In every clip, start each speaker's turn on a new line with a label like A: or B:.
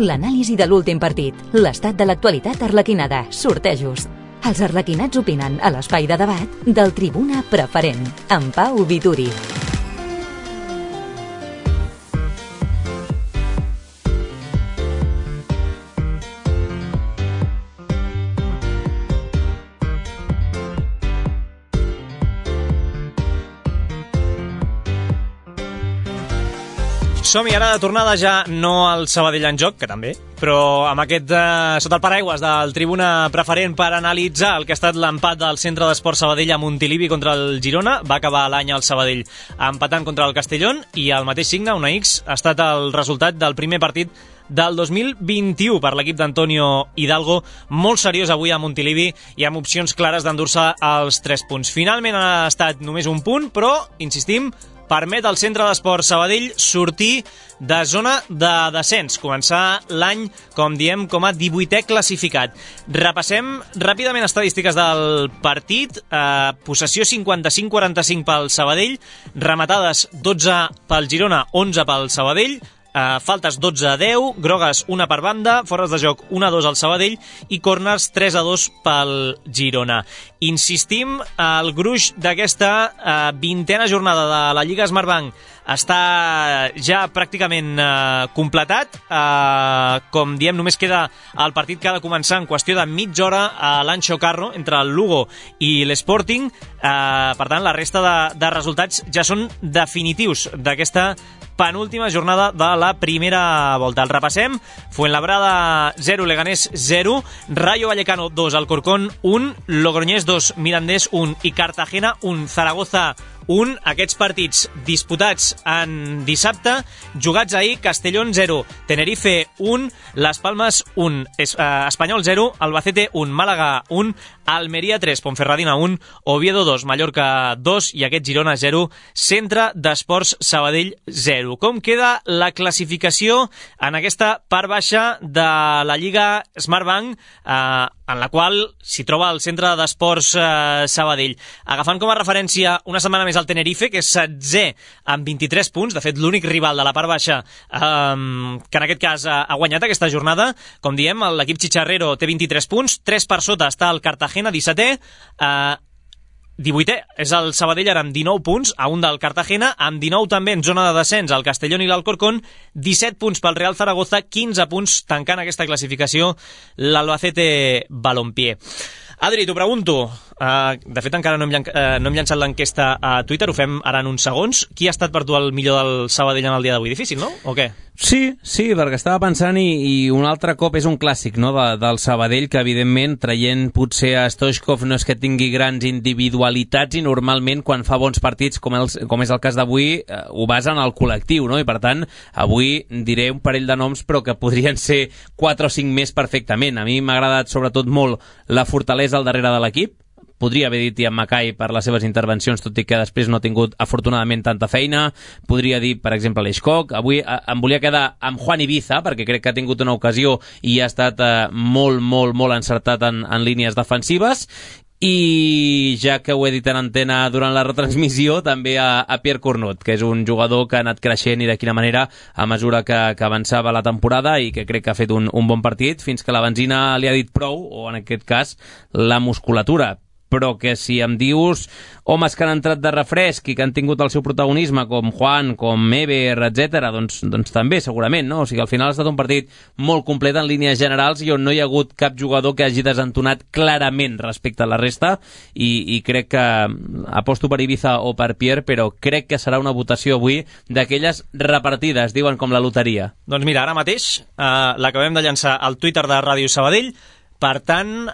A: L'anàlisi de l'últim partit, l'estat de l'actualitat arlequinada, sortejos. Els arlequinats opinen a l'espai de debat del Tribuna Preferent, amb Pau Vituri.
B: Som-hi ara de tornada, ja no al Sabadell en joc, que també, però amb aquest sota el paraigües del Tribuna Preferent per analitzar el que ha estat l'empat del Centre d'Esport Sabadell a Montilivi contra el Girona. Va acabar l'any al Sabadell empatant contra el Castellón i el mateix signe, una X, ha estat el resultat del primer partit del 2021 per l'equip d'Antonio Hidalgo, molt seriós avui a Montilivi i amb opcions clares d'endur-se els 3 punts. Finalment ha estat només un punt, però, insistim, permet al Centre d'Esport Sabadell sortir de zona de descens, començar l'any, com diem, com a 18è classificat. Repassem ràpidament estadístiques del partit. Possessió 55-45 pel Sabadell, rematades 12 pel Girona, 11 pel Sabadell, faltes 12-10, grogues 1 per banda, fores de joc 1-2 al Sabadell i córners 3-2 pel Girona. Insistim, el gruix d'aquesta 20a jornada de la Lliga Smartbank està ja pràcticament completat. Com diem, només queda el partit que ha de començar en qüestió de mitja hora a l'Anxo Carro entre el Lugo i l'Sporting. Per tant, la resta de resultats ja són definitius d'aquesta penúltima jornada de la primera volta. El repassem: Fuenlabrada 0, Leganés 0, Rayo Vallecano 2, Alcorcón 1, Logroñés 2, Mirandés 1 i Cartagena 1, Zaragoza 1. Aquests partits disputats en dissabte, jugats ahir: Castellón 0, Tenerife 1, Las Palmas 1, Espanyol 0, Albacete 1, Màlaga 1, Almeria 3, Ponferradina 1, Oviedo 2, Mallorca 2 i aquest Girona 0, Centre d'Esports Sabadell 0. Com queda la classificació en aquesta part baixa de la Lliga Smartbank, en la qual s'hi troba el Centre d'Esports Sabadell? Agafant com a referència una setmana més el Tenerife, que és 16è amb 23 punts, de fet l'únic rival de la part baixa que en aquest cas ha guanyat aquesta jornada. Com diem, l'equip xicharrero té 23 punts, 3 per sota està el Cartagena, 17è, 18è és el Sabadell ara amb 19 punts, a un del Cartagena, amb 19 també en zona de descens el Castellón i l'Alcorcón, 17 punts pel Real Zaragoza, 15 punts tancant aquesta classificació l'Albacete Balompié. Adri, t'ho pregunto, de fet encara no hem llançat l'enquesta a Twitter, ho fem ara en uns segons. Qui ha estat per tu el millor del Sabadell en el dia d'avui? Difícil, no? O què?
C: Sí, perquè estava pensant i un altre cop és un clàssic, no?, del Sabadell, que evidentment, traient potser a Stoichkov, no és que tingui grans individualitats i normalment quan fa bons partits, com és el cas d'avui, ho basa en el col·lectiu, no? I per tant, avui diré un parell de noms però que podrien ser 4 o 5 més perfectament. A mi m'ha agradat sobretot molt la fortalesa al darrere de l'equip. Podria haver dit Ian Mackay per les seves intervencions, tot i que després no ha tingut, afortunadament, tanta feina. Podria dir, per exemple, l'Eixcock. Avui em volia quedar amb Juan Ibiza, perquè crec que ha tingut una ocasió i ha estat molt encertat en línies defensives. I ja que ho he dit en antena durant la retransmissió, també a Pierre Cornut, que és un jugador que ha anat creixent i de quina manera a mesura que avançava la temporada i que crec que ha fet un bon partit, fins que la benzina li ha dit prou, o en aquest cas la musculatura. Però que si em dius homes que han entrat de refresc i que han tingut el seu protagonisme, com Juan, com Eber, etc., doncs també, segurament, no? O sigui, al final ha estat un partit molt complet en línies generals i on no hi ha hagut cap jugador que hagi desentonat clarament respecte a la resta i crec que aposto per Ibiza o per Pierre, però crec que serà una votació avui d'aquelles repartides, diuen com la loteria.
B: Doncs mira, ara mateix l'acabem de llançar al Twitter de Ràdio Sabadell. Per tant,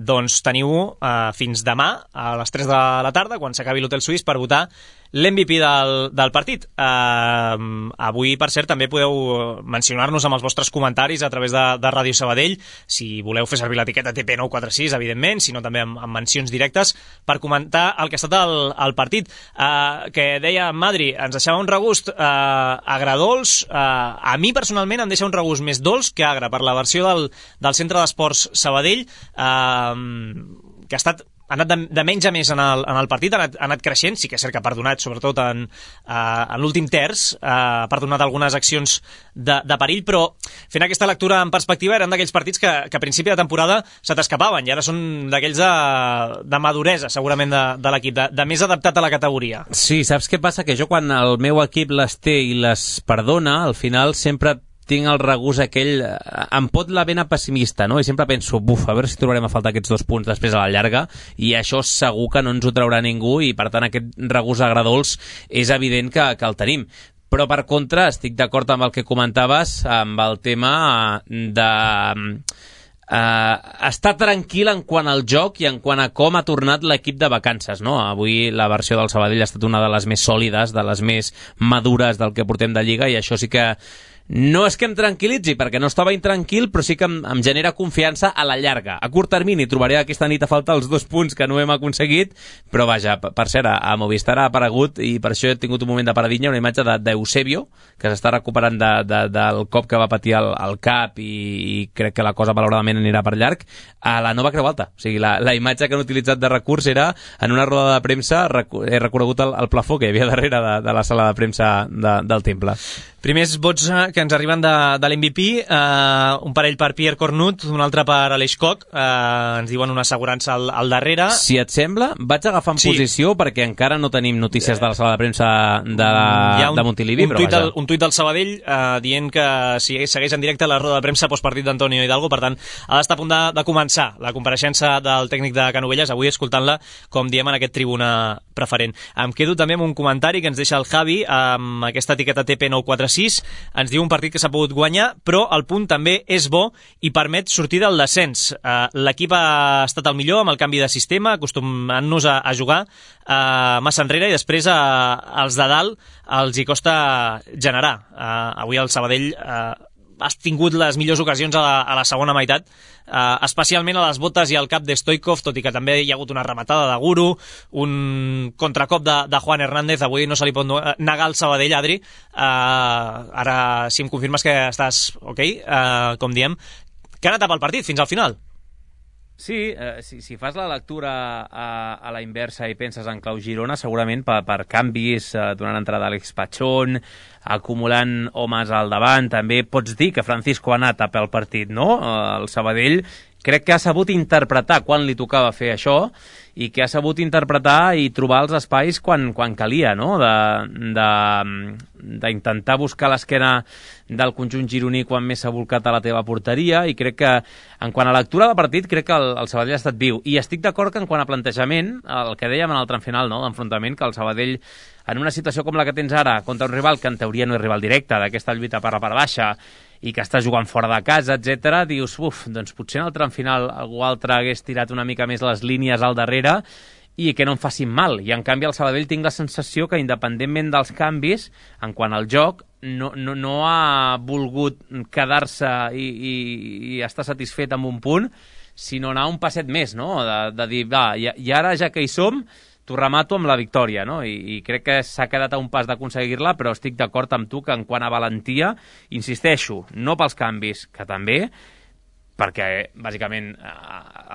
B: doncs teniu fins demà a les 3 de la tarda, quan s'acabi l'Hotel Suís, per votar l'MVP del partit. Avui, per cert, també podeu mencionar-nos amb els vostres comentaris a través de Ràdio Sabadell, si voleu fer servir l'etiqueta TP946, evidentment, sinó també amb mencions directes, per comentar el que ha estat el partit. Que deia Madri, ens deixava un regust agradols. A mi, personalment, em deixa un regust més dolç que agre per la versió del Centre d'Esports Sabadell, que ha estat anat de menys a més en el partit, ha anat creixent, sí que és cert que ha perdonat, sobretot en l'últim terç, ha perdonat algunes accions de perill, però fent aquesta lectura en perspectiva eren d'aquells partits que a principi de temporada se t'escapaven, i ara són d'aquells de maduresa, segurament, de l'equip, de més adaptat a la categoria.
C: Sí, saps què passa? Que jo quan el meu equip les té i les perdona, al final sempre tinc el regust aquell, em pot la vena pessimista, no? I sempre penso, a veure si trobarem a faltar aquests 2 punts després a la llarga, i això segur que no ens ho traurà ningú, i per tant aquest regust agradolç és evident que el tenim. Però per contra estic d'acord amb el que comentaves, amb el tema de estar tranquil en quant al joc i en quant a com ha tornat l'equip de vacances, no? Avui la versió del Sabadell ha estat una de les més sòlides, de les més madures del que portem de Lliga, i això sí que no és que em tranquil·litzi, perquè no estava intranquil, però sí que em genera confiança a la llarga. A curt termini trobaré aquesta nit a faltar els 2 punts que no hem aconseguit, però vaja, per cert, a Movistar ha aparegut, i per això he tingut un moment de paradilla, una imatge d'Eusebio, que s'està recuperant del cop que va patir al cap, i crec que la cosa malauradament anirà per llarg, a la nova Creu Alta. O sigui, la imatge que han utilitzat de recurs era, en una roda de premsa, he reconegut el plafó que hi havia darrere de la sala de premsa del Temple.
B: Primers vots que ens arriben de l'MVP, un parell per Pierre Cornut, un altre per Aleix Koch, ens diuen una assegurança al darrere.
C: Si et sembla, vaig agafant posició, perquè encara no tenim notícies de la sala de premsa de Montilivi, però vaja.
B: Un tuit del Sabadell dient que si segueix en directe la roda de premsa postpartit d'Antonio Hidalgo, per tant, ha d'estar a punt de començar la compareixença del tècnic de Canovelles, avui escoltant-la, com diem, en aquest tribuna preferent. Em quedo també amb un comentari que ens deixa el Javi, amb aquesta etiqueta TP946, ens diu un partit que s'ha pogut guanyar, però el punt també és bo i permet sortir del descens. L'equip ha estat el millor amb el canvi de sistema, acostumant-nos a jugar massa enrere, i després als de dalt els hi costa generar. Avui el Sabadell has tingut les millors ocasions a la segona meitat, especialment a les botes i al cap de Stoikov, tot i que també hi ha hagut una rematada de Guru, un contracop de Juan Hernández. Avui no se li pot negar al Sabadell, Adri. Ara, si em confirmes que estàs ok, com diem, que ha anat pel partit fins al final.
C: Sí, si fas la lectura a la inversa i penses en clau Girona, segurament per canvis, donant entrada a Àlex Pachón, acumulant homes al davant, també pots dir que Francisco ha anat a pel partit, no? El Sabadell crec que ha sabut interpretar quan li tocava fer això, i que ha sabut interpretar i trobar els espais quan calia, no? D'intentar buscar l'esquena del conjunt gironí quan més s'ha volcat a la teva porteria, i crec que en quant a lectura del partit crec que el Sabadell ha estat viu, i estic d'acord que en quant a plantejament, el que dèiem en el tram final, no?, d'enfrontament, que el Sabadell en una situació com la que tens ara, contra un rival que en teoria no és rival directe, d'aquesta lluita per la part baixa, i que està jugant fora de casa, etc., dius, doncs potser en el tram final algú altre hagués tirat una mica més les línies al darrere i que no em facin mal. I en canvi al Sabadell tinc la sensació que, independentment dels canvis, en quant al joc, no ha volgut quedar-se i estar satisfet amb un punt, sinó anar un passet més, no? De dir, va, i ara ja que hi som, t'ho remato amb la victòria, no? I crec que s'ha quedat a un pas d'aconseguir-la, però estic d'acord amb tu que en quant a valentia, insisteixo, no pels canvis, que també, perquè bàsicament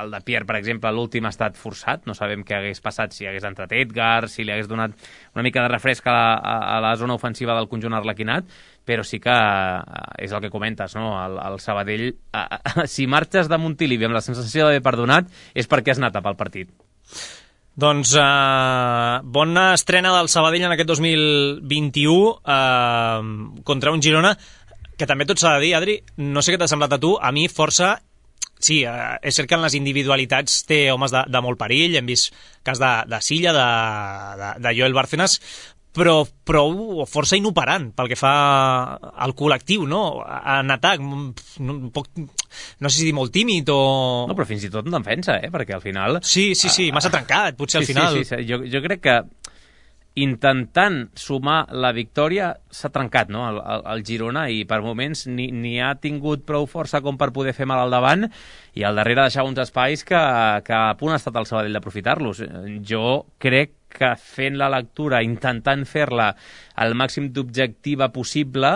C: el de Pierre, per exemple, l'últim ha estat forçat, no sabem què hagués passat si hagués entrat Edgar, si li hagués donat una mica de refresc a la zona ofensiva del conjunt arlequinat, però sí que és el que comentes, no? El Sabadell, si marxes de Montilivi amb la sensació d'haver perdonat, és perquè has anat a pel partit.
B: Doncs bona estrena del Sabadell en aquest 2021 contra un Girona que també tot s'ha de dir, Adri, no sé què t'ha semblat a tu, a mi força, sí, és cert que en les individualitats té homes de molt perill, hem vist cas de Silla, de Joel Bárcenas, però força inoperant pel que fa al col·lectiu, no? En atac, no sé si dir molt tímid o...
C: No, però fins i tot en defensa, perquè al final...
B: Sí, massa trencat, potser al final.
C: Sí. Jo crec que intentant sumar la victòria s'ha trencat, no? El Girona, i per moments ni ha tingut prou força com per poder fer mal al davant, i al darrere deixava uns espais que a punt ha estat el Sabadell d'aprofitar-los. Jo crec que fent la lectura, intentant fer-la el màxim d'objectiva possible,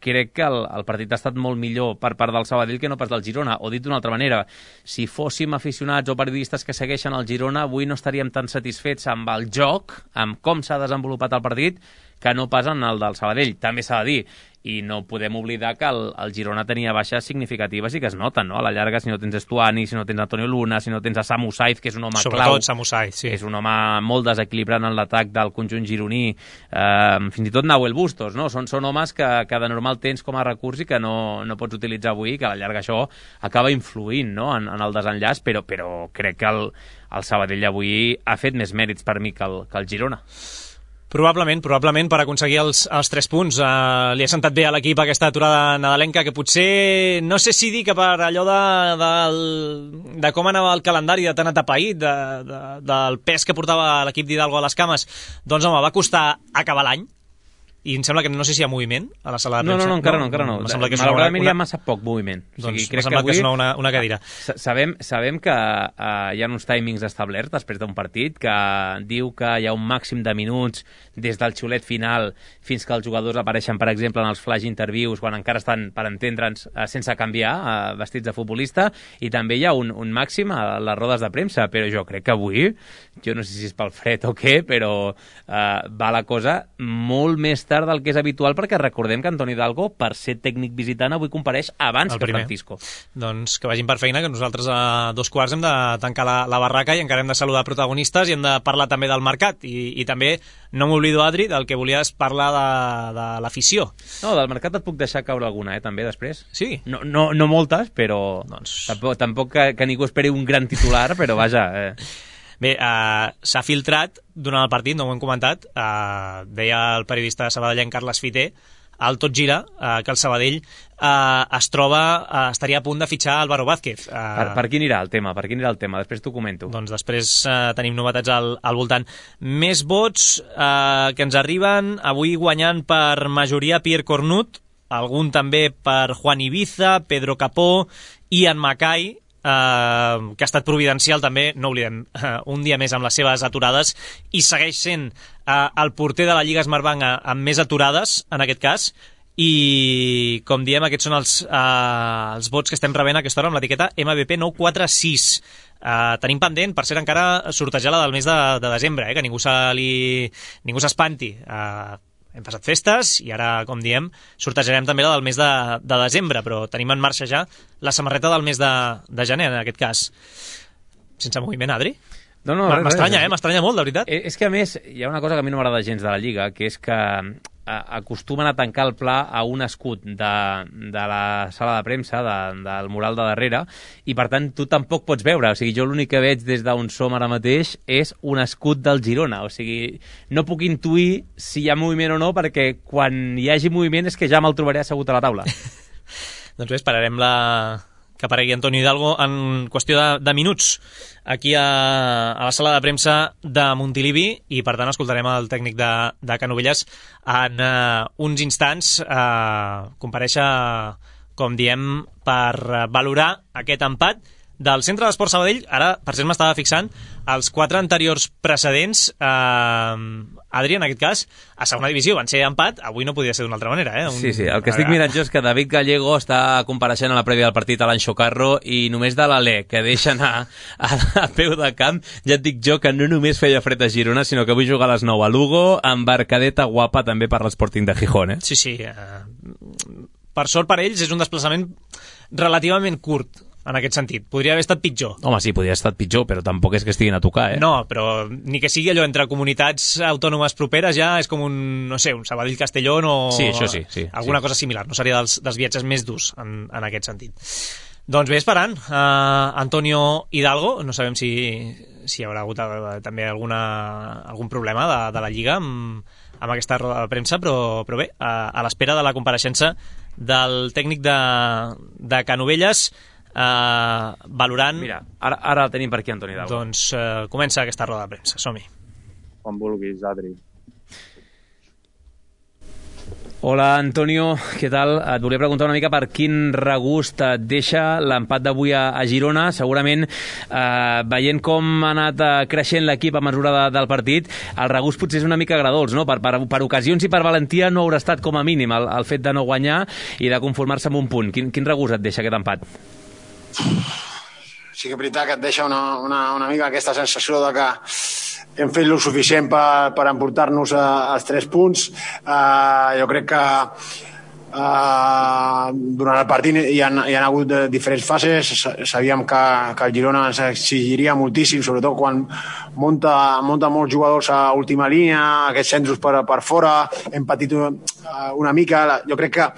C: crec que el partit ha estat molt millor per part del Sabadell que no pas del Girona. O dit d'una altra manera, si fóssim aficionats o periodistes que segueixen el Girona, avui no estaríem tan satisfets amb el joc, amb com s'ha desenvolupat el partit, que no pas en el del Sabadell. També s'ha de dir, i no podem oblidar que el Girona tenia baixes significatives i que es noten, no? A la llarga, si no tens Estuani, si no tens Antonio Luna, si no tens a Samu Saiz, que és un home
B: sobretot
C: clau.
B: Sobretot Samu Saiz, sí.
C: És un home molt desequilibrant en l'atac del conjunt gironí. Fins i tot Nahuel Bustos, no? Són homes que de normal tens com a recurs i que no pots utilitzar avui, que a la llarga això acaba influint, no? en el desenllaç, però crec que el Sabadell avui ha fet més mèrits per mi que el Girona.
B: Probablement per aconseguir els 3 punts. Li ha sentat bé a l'equip aquesta aturada nadalenca, que potser, no sé si dir que per allò de com anava el calendari de tan atapeït, del pes que portava l'equip d'Hidalgo a les cames, doncs home, va costar acabar l'any. I em sembla que no sé si hi ha moviment a la sala de premsa.
C: No, encara no. Malauradament hi ha massa poc moviment.
B: Doncs m'ha semblat que és una cadira.
C: Sabem que hi ha uns timings establerts després d'un partit, que diu que hi ha un màxim de minuts des del xiulet final fins que els jugadors apareixen, per exemple, en els flash interviews, quan encara estan, per entendre'ns, sense canviar, vestits de futbolista, i també hi ha un màxim a les rodes de premsa, però jo crec que avui, jo no sé si és pel fred o què, però va la cosa molt més tard del que és habitual, perquè recordem que Antoni Hidalgo, per ser tècnic visitant, avui compareix abans que Francisco.
B: Doncs que vagin per feina, que nosaltres a 2:15 hem de tancar la barraca i encara hem de saludar protagonistes i hem de parlar també del mercat. I també, no m'oblido, Adri, del que volies parlar de l'afició.
C: No, del mercat et puc deixar caure alguna, també, després.
B: Sí?
C: No moltes, però tampoc que ningú esperi un gran titular, però vaja...
B: Bé, s'ha filtrat durant el partit, no ho hem comentat, deia el periodista sabadellenc Carles Fiter, al Tot Gira, que el Sabadell estaria a punt de fitxar Álvaro Vázquez.
C: Per qui anirà el tema? Després t'ho comento.
B: Doncs després tenim novetats al voltant. Més vots que ens arriben, avui guanyant per majoria Pierre Cornut, algun també per Juan Ibiza, Pedro Capó, Ian Mackay, que ha estat providencial també, no oblidem, un dia més amb les seves aturades, i segueix sent el porter de la Lliga Smartbank amb més aturades, en aquest cas, i com diem, aquests són els vots que estem rebent a aquesta hora amb l'etiqueta MVP 946. Tenim pendent, per cert, encara sortejar la del mes de desembre, que ningú s'espanti. Hem passat festes i ara, com diem, sortejarem també la del mes de desembre, però tenim en marxa ja la samarreta del mes de gener, en aquest cas. Sense moviment, Adri?
C: No,
B: m'estranya, m'estranya molt, de veritat.
C: És que, a més, hi ha una cosa que a mi no m'agrada gens de la Lliga, que és que acostumen a tancar el pla a un escut de la sala de premsa, del mural de darrere, i per tant tu tampoc pots veure. O sigui, jo l'únic que veig des d'on som ara mateix és un escut del Girona. O sigui, no puc intuir si hi ha moviment o no, perquè quan hi hagi moviment és que ja me'l trobaré assegut a la taula.
B: Doncs bé, esperarem que aparegui Antonio Hidalgo en qüestió de minuts aquí a la sala de premsa de Montilivi, i per tant escoltarem el tècnic de Canovelles en uns instants comparèixer, com diem, per valorar aquest empat del Centre d'Esports Sabadell. Ara, per cert, m'estava fixant els 4 anteriors precedents, Adri, en aquest cas, a segona divisió van ser empat, avui no podia ser d'una altra manera.
C: Sí, el que estic mirant jo és que David Gallego està compareixent a la prèvia del partit a l'Anxo Carro, i només de l'Alè, que deixa anar a peu de camp, ja et dic jo que no només feia fred a Girona, sinó que vull jugar a les 9 a Lugo, embarcadeta guapa també per l'Sporting de Gijón.
B: Sí. Per sort per ells és un desplaçament relativament curt, en aquest sentit. Podria haver estat pitjor.
C: Home, sí, podria haver estat pitjor, però tampoc és que estiguin a tocar,
B: No, però ni que sigui allò entre comunitats autònomes properes, ja és com un Sabadell-Castellón o...
C: Sí, això sí.
B: Alguna cosa similar. No seria dels viatges més durs en aquest sentit. Doncs bé, esperant Antonio Hidalgo. No sabem si hi haurà hagut també algun problema de la Lliga amb aquesta roda de premsa, però bé, a l'espera de la compareixença del tècnic de Canovelles, valorant...
C: Mira, ara el tenim per aquí, Antoni Hidalgo.
B: Doncs comença aquesta roda de premsa, som-hi.
D: Quan vulguis, Adri.
C: Hola, Antonio, què tal? Et volia preguntar una mica per quin regust et deixa l'empat d'avui a Girona. Segurament, veient com ha anat creixent l'equip a mesura del partit, el regust potser és una mica agradolç, no? Per ocasions i per valentia no haurà estat com a mínim el fet de no guanyar i de conformar-se amb un punt. Quin regust et deixa aquest empat?
D: Sí que és veritat que et deixa una mica aquesta sensació de que hem fet el suficient per emportar-nos als 3 punts. Jo crec que durant el partit hi ha hagut diferents fases. Sabíem que el Girona ens exigiria moltíssim, sobretot quan munta molts jugadors a última línia, aquests centres per fora. Hem patit una mica. Jo crec que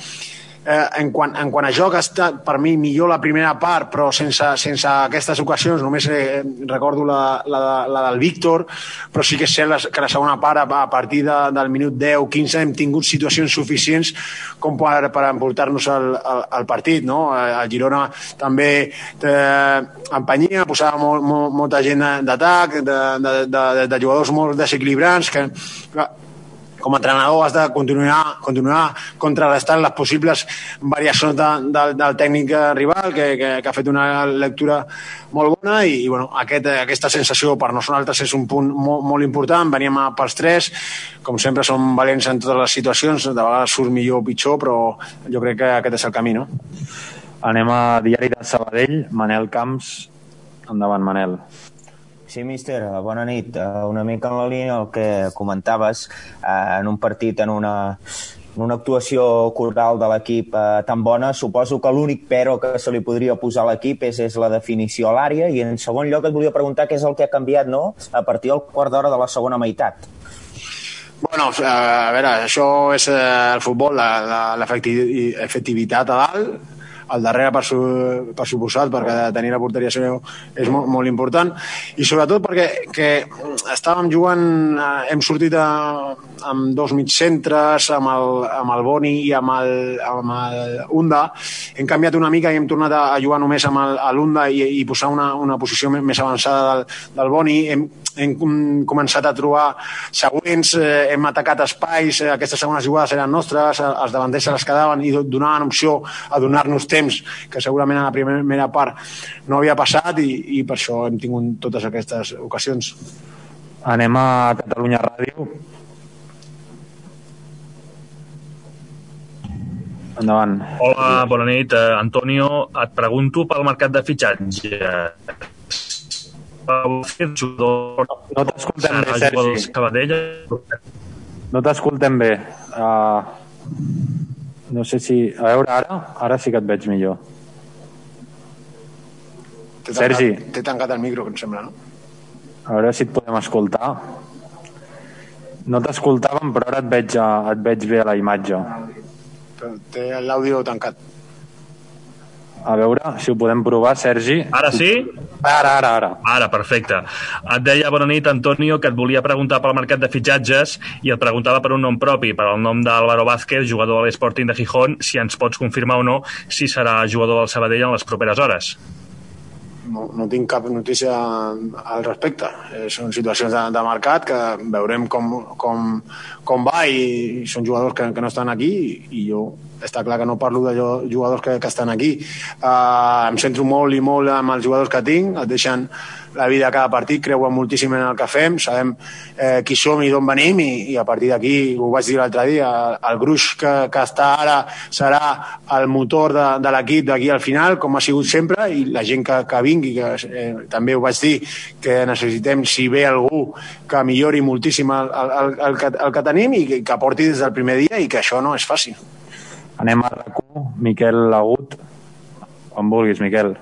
D: en quant a joc ha estat per mi millor la primera part, però sense aquestes ocasions. Només recordo la del Víctor, però sí que és cert que la segona part, a partir del minut 10-15, hem tingut situacions suficients com per emportar-nos el partit, no? El Girona també empenyia, posava molta gent d'atac, de jugadors molt desequilibrants, que com a entrenador has de continuar contrarrestant les possibles variacions del tècnic rival, que ha fet una lectura molt bona, i aquesta sensació per nosaltres és un punt molt important. Veníem pels 3, com sempre som valents en totes les situacions, de vegades surt millor o pitjor, però jo crec que aquest és el camí, no?
E: Anem a Diari de Sabadell, Manel Camps. Endavant, Manel.
F: Sí, míster, bona nit. Una mica en la línia del que comentaves, en un partit, en una actuació coral de l'equip tan bona, suposo que l'únic però que se li podria posar a l'equip és la definició a l'àrea, i en segon lloc et volia preguntar què és el que ha canviat, no?, a partir del quart d'hora de la segona meitat.
D: Bueno, a veure, això és el futbol, l'efectivitat a dalt, al darrere per suposat, perquè tenir la porteria és molt important, i sobretot perquè estàvem jugant, hem sortit amb 2 mitjcentres, amb el Boni i amb el Unda. Hem canviat una mica i hem tornat a jugar només amb l'Unda i posar una posició més avançada del Boni. Hem començat a trobar següents, hem atacat espais, aquestes segones jugades eren nostres, els davanters se les quedaven i donaven opció a donar-nos temps que segurament a la primera part no havia passat, i per això hem tingut totes aquestes ocasions.
E: Anem a Catalunya Ràdio. Endavant.
G: Hola, bona nit. Antonio, et pregunto pel mercat de fitxatges.
E: No t'escoltem bé, Sergi. No t'escoltem bé. No sé si... A veure, ara sí que et veig millor. Sergi.
D: T'he tancat el micro, que em sembla, no?
E: A veure si et podem escoltar. No t'escoltàvem, però ara et veig bé a la imatge.
D: Té l'àudio tancat.
E: A veure si ho podem provar, Sergi.
G: Ara sí?
E: Ara.
G: Ara, perfecte. Et deia, bona nit, Antonio, que et volia preguntar pel mercat de fitxatges i et preguntava per un nom propi, per el nom d'Álvaro Vázquez, jugador de l'Sporting de Gijón, si ens pots confirmar o no si serà jugador del Sabadell en les properes hores.
D: No tinc cap notícia al respecte. Són situacions de mercat que veurem com va, i són jugadors que no estan aquí, i jo està clar que no parlo de jugadors que estan aquí. Em centro molt i molt amb els jugadors que tinc, et deixen la vida a cada partit, creuen moltíssim en el que fem, sabem qui som i d'on venim, i a partir d'aquí, ho vaig dir l'altre dia, el gruix que està ara serà el motor de l'equip d'aquí al final, com ha sigut sempre, i la gent que vingui, que també ho vaig dir, que necessitem, si ve algú, que millori moltíssim el que tenim, i que aporti des del primer dia, i que això no és fàcil.
E: Anem a RAC1, Miquel Agut. On vulguis, Miquel.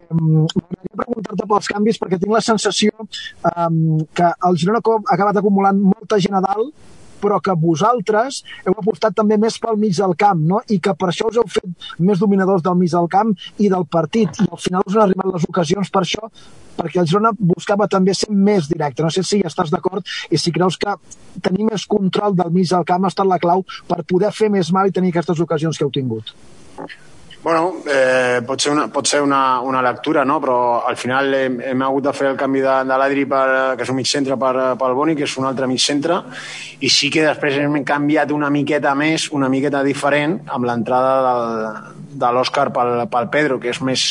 H: M'agradaria preguntar-te pels canvis, perquè tinc la sensació que el Girona ha acabat acumulant molta gent a dalt, però que vosaltres heu apostat també més pel mig del camp, no? I que per això us heu fet més dominadors del mig del camp i del partit, i al final us han arribat les ocasions per això, perquè el Girona buscava també ser més directe. No sé si estàs d'acord i si creus que tenir més control del mig del camp ha estat la clau per poder fer més mal i tenir aquestes ocasions que heu tingut.
D: Bueno, pot ser una lectura, no? Però al final hem hagut de fer el canvi de l'Adri, que és un mig centre, pel Boni, que és un altre mig centre, i sí que després hem canviat una miqueta més, una miqueta diferent, amb l'entrada de l'Òscar pel Pedro, que és més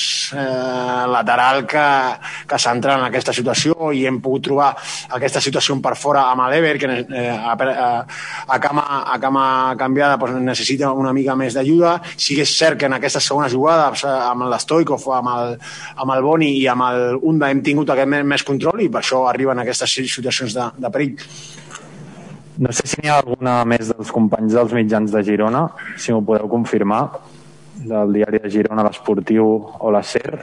D: lateral que central en aquesta situació, i hem pogut trobar aquesta situació per fora amb l'Ever, que a cama canviada necessita una mica més d'ajuda. Sí que és cert que en aquesta segona jugada amb l'Stoikov, amb el Boni i amb el Unda hem tingut aquest més control, i per això arriben aquestes situacions de perill.
E: No sé si n'hi ha alguna més dels companys dels mitjans de Girona, si m'ho podeu confirmar, del diari de Girona, l'Esportiu o la SER.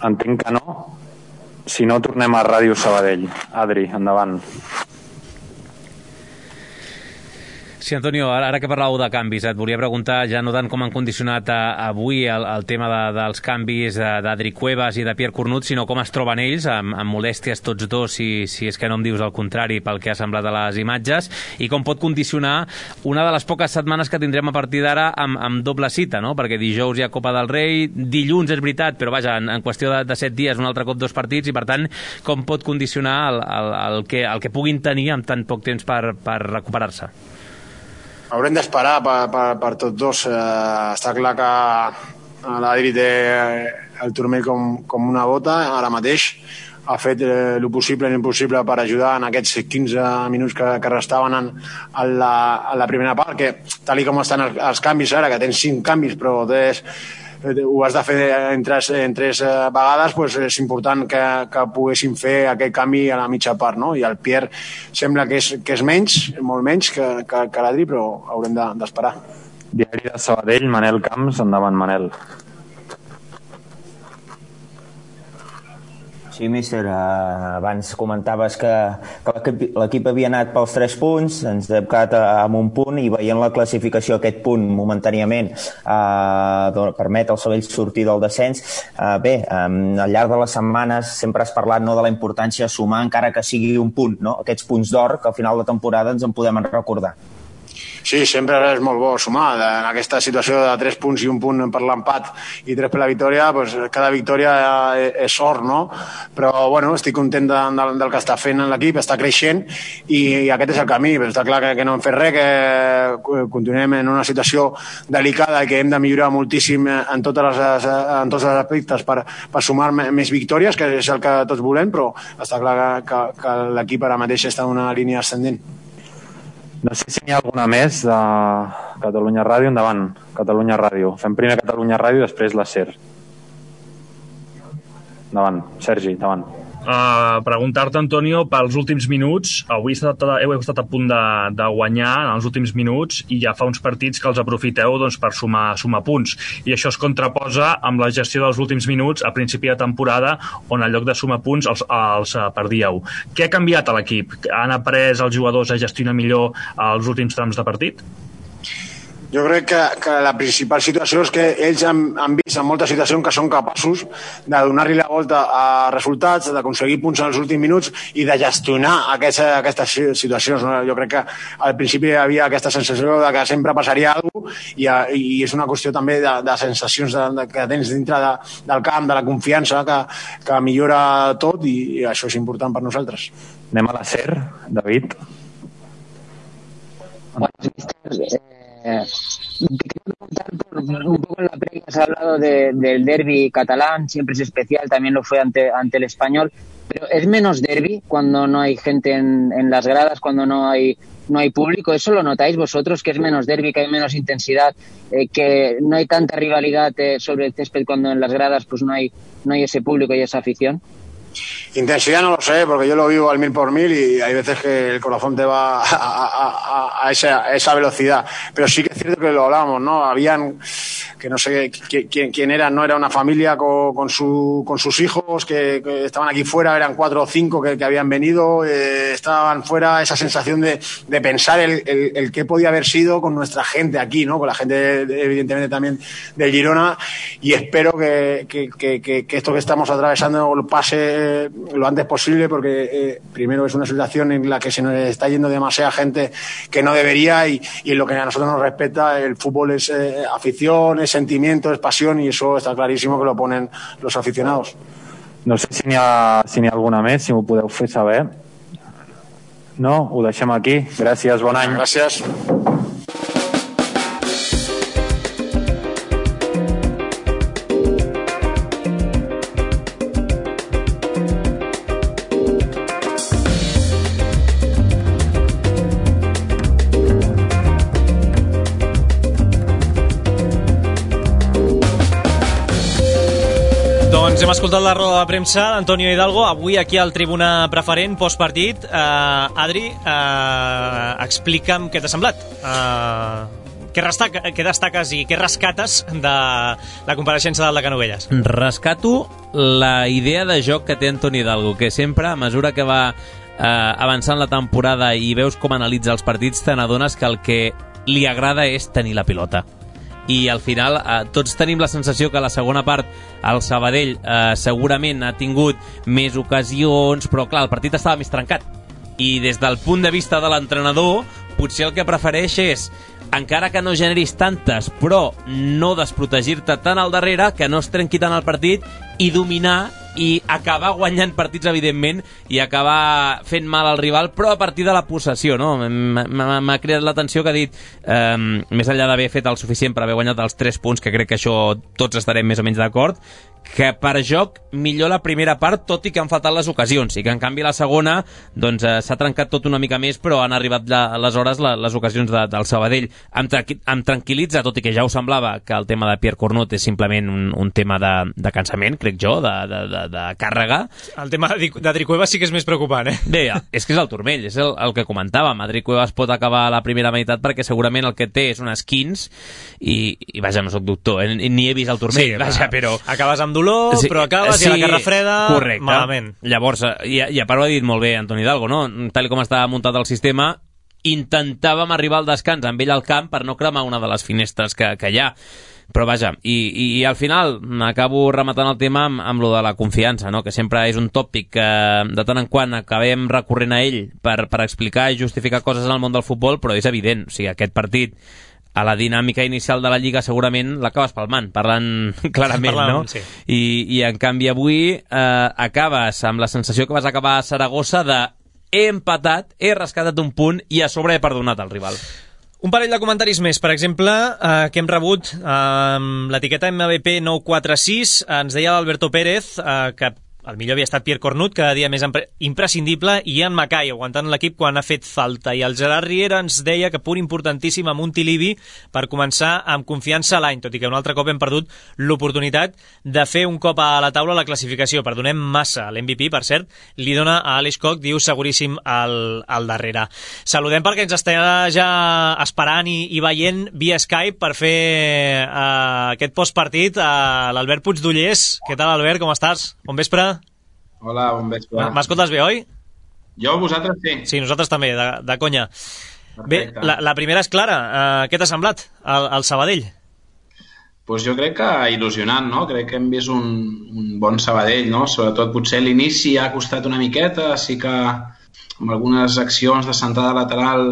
E: Entenc que no. Si no, tornem a Ràdio Sabadell. Adri, endavant.
C: Sí, Antonio, ara que parlàveu de canvis, et volia preguntar, ja no tant com han condicionat avui el tema dels canvis d'Adri Cuevas i de Pierre Cornut, sinó com es troben ells, amb molèsties tots dos, si és que no em dius el contrari pel que ha semblat a les imatges, i com pot condicionar una de les poques setmanes que tindrem a partir d'ara amb doble cita, no? Perquè dijous hi ha Copa del Rei, dilluns és veritat, però vaja, en qüestió de 7 dies, un altre cop 2 partits, i per tant, com pot condicionar el que puguin tenir amb tan poc temps per recuperar-se?
D: Haurem d'esperar per tots dos. Està clar que l'Adri té el turmell com una bota ara mateix. Ha fet el possible i l'impossible per ajudar en aquests 15 minuts que restaven a la primera part, que tal com estan els canvis ara, que tens 5 canvis, però ho has de fer en 3 vegades, doncs és important que poguessin fer aquest canvi a la mitja part, no? I el Pierre sembla que és menys, molt menys que l'Adri, però haurem d'esperar.
E: Diari de Sabadell, Manel Camps, endavant, Manel.
F: Sí, míster, abans comentaves que l'equip havia anat pels 3 punts, ens hem quedat amb un punt, i veient la classificació, aquest punt momentàniament permet al Sabadell sortir del descens. Bé, al llarg de les setmanes sempre has parlat de la importància de sumar, encara que sigui un punt, no? Aquests punts d'or que al final de temporada ens en podem recordar.
D: Sí, sempre és molt bo sumar. En aquesta situació de 3 punts i 1 punt per l'empat i 3 per la victòria, doncs cada victòria és sort, no? Però, bueno, estic content del que està fent l'equip, està creixent, i aquest és el camí. Està clar que no hem fet res, que continuem en una situació delicada i que hem de millorar moltíssim en tots els aspectes per sumar més victòries, que és el que tots volem, però està clar que l'equip ara mateix està en una línia ascendent.
E: No sé si n'hi ha alguna més de Catalunya Ràdio. Endavant, Catalunya Ràdio. Fem primer Catalunya Ràdio i després la SER. Endavant, Sergi, endavant.
G: Preguntar-te, Antonio, pels últims minuts. Avui heu estat a punt de guanyar en els últims minuts, i ja fa uns partits que els aprofiteu per sumar punts, i això es contraposa amb la gestió dels últims minuts a principi de temporada, on en lloc de sumar punts els perdíeu. Què ha canviat a l'equip? Han après els jugadors a gestionar millor els últims trams de partit?
D: Jo crec que la principal situació és que ells han vist en moltes situacions que són capaços de donar-li la volta a resultats, d'aconseguir punts en els últims minuts i de gestionar aquestes situacions. Jo crec que al principi hi havia aquesta sensació de que sempre passaria alguna cosa, i és una qüestió també de sensacions que tens dintre del camp, de la confiança, que millora tot, i això és important per nosaltres.
E: Anem a la SER, David.
I: Te quería preguntar un poco en la previa, has hablado del derbi catalán, siempre es especial, también lo fue ante el Español, pero ¿es menos derbi cuando no hay gente en las gradas, cuando no hay público? ¿Eso lo notáis vosotros, que es menos derbi, que hay menos intensidad, que no hay tanta rivalidad sobre el césped cuando en las gradas pues no hay ese público y esa afición?
D: Intensidad no lo sé, porque yo lo vivo al 1000 por 1000 y hay veces que el corazón te va a esa velocidad. Pero sí que es cierto que lo hablábamos, ¿no? Habían, que no sé quién era, no era una familia con sus hijos que estaban aquí fuera, eran 4 o 5 que habían venido, estaban fuera, esa sensación de pensar el qué podía haber sido con nuestra gente aquí, ¿no? Con la gente, evidentemente, también del Girona, y espero que esto que estamos atravesando pase lo antes posible, porque primero es una situación en la que se nos está yendo demasiada gente que no debería, y en lo que a nosotros nos respecta, el fútbol es afición, sentimiento, es pasión, y eso está clarísimo que lo ponen los aficionados.
E: No sé si n'hi ha alguna més, si m'ho podeu fer saber. No? Ho deixem aquí. Gràcies, bon any.
D: Gràcies.
B: Doncs hem escoltat la roda de premsa d'Antonio Hidalgo, avui aquí al Tribuna Preferent, postpartit. Adri, explica'm què t'ha semblat. Què destaques i què rescates de la compareixença del de Canovelles?
C: Rescato la idea de joc que té Antonio Hidalgo, que sempre, a mesura que va avançant la temporada i veus com analitza els partits, te n'adones que el que li agrada és tenir la pilota. I al final tots tenim la sensació que a la segona part el Sabadell segurament ha tingut més ocasions, però clar, el partit estava més trencat. I des del punt de vista de l'entrenador, potser el que prefereix és, encara que no generis tantes, però no desprotegir-te tant al darrere, que no es trenqui tant el partit, i dominar i acabar guanyant partits, evidentment, i acabar fent mal al rival, però a partir de la possessió, no? M'ha creat l'atenció que ha dit, més enllà d'haver fet el suficient per haver guanyat els 3 punts, que crec que això tots estarem més o menys d'acord, que per joc millor la primera part, tot i que han faltat les ocasions, i que en canvi la segona doncs s'ha trencat tot una mica més, però han arribat aleshores les ocasions del Sabadell. Em tranquil·litza, tot i que ja ho semblava, que el tema de Pierre Cornut és simplement un tema de cansament, crec jo, de càrrega.
B: El tema d'Adri Cuevas sí que és més preocupant,
C: Bé, és que és el turmell, és el que comentàvem. Adri Cuevas pot acabar a la primera meitat perquè segurament el que té és un esquins i vaja, no soc doctor, ni he vist el turmell, sí, vaja, però...
B: Acabes amb dolor, sí, però acabes i a la carra freda, correcte, malament.
C: Llavors, i a part ho ha dit molt bé Antoni Hidalgo, no? Tal com està muntat el sistema, intentàvem arribar al descans amb ell al camp per no cremar una de les finestres que hi ha. Però vaja, i al final acabo rematant el tema amb lo de la confiança, no? Que sempre és un tòpic que de tant en quant acabem recorrent a ell per explicar i justificar coses en el món del futbol, però és evident, o sigui, aquest partit a la dinàmica inicial de la Lliga segurament l'acabes palmant, parlant clarament, no?
B: Sí.
C: I en canvi avui acabes amb la sensació que vas acabar a Saragossa de he empatat, he rescatat un punt i a sobre he perdonat el rival.
B: Un parell de comentaris més, per exemple, que hem rebut amb l'etiqueta MVP 946, ens deia l'Alberto Pérez que el millor havia estat Pierre Cornut, cada dia més imprescindible, i Ian Mackay aguantant l'equip quan ha fet falta. I el Gerard Riera ens deia que punt importantíssim a Montilivi per començar amb confiança l'any, tot i que un altre cop hem perdut l'oportunitat de fer un cop a la taula la classificació. Perdonem massa. L'MVP, per cert, li dona a Aleix Koch, diu seguríssim al darrere. Saludem perquè ens està ja esperant i veient via Skype per fer aquest postpartit a l'Albert Puigdollers. Què tal, Albert? Com estàs? Bon vespre.
J: Hola, bon vespre.
B: M'escoltes bé, oi?
J: Jo, vosaltres sí.
B: Sí, nosaltres també, de conya.
J: Perfecte.
B: Bé, la primera és clara. Què t'ha semblat, el Sabadell?
J: Pues jo crec que il·lusionant, no? Crec que hem vist un bon Sabadell, no? Sobretot potser l'inici ha costat una miqueta, sí que amb algunes accions de centrada lateral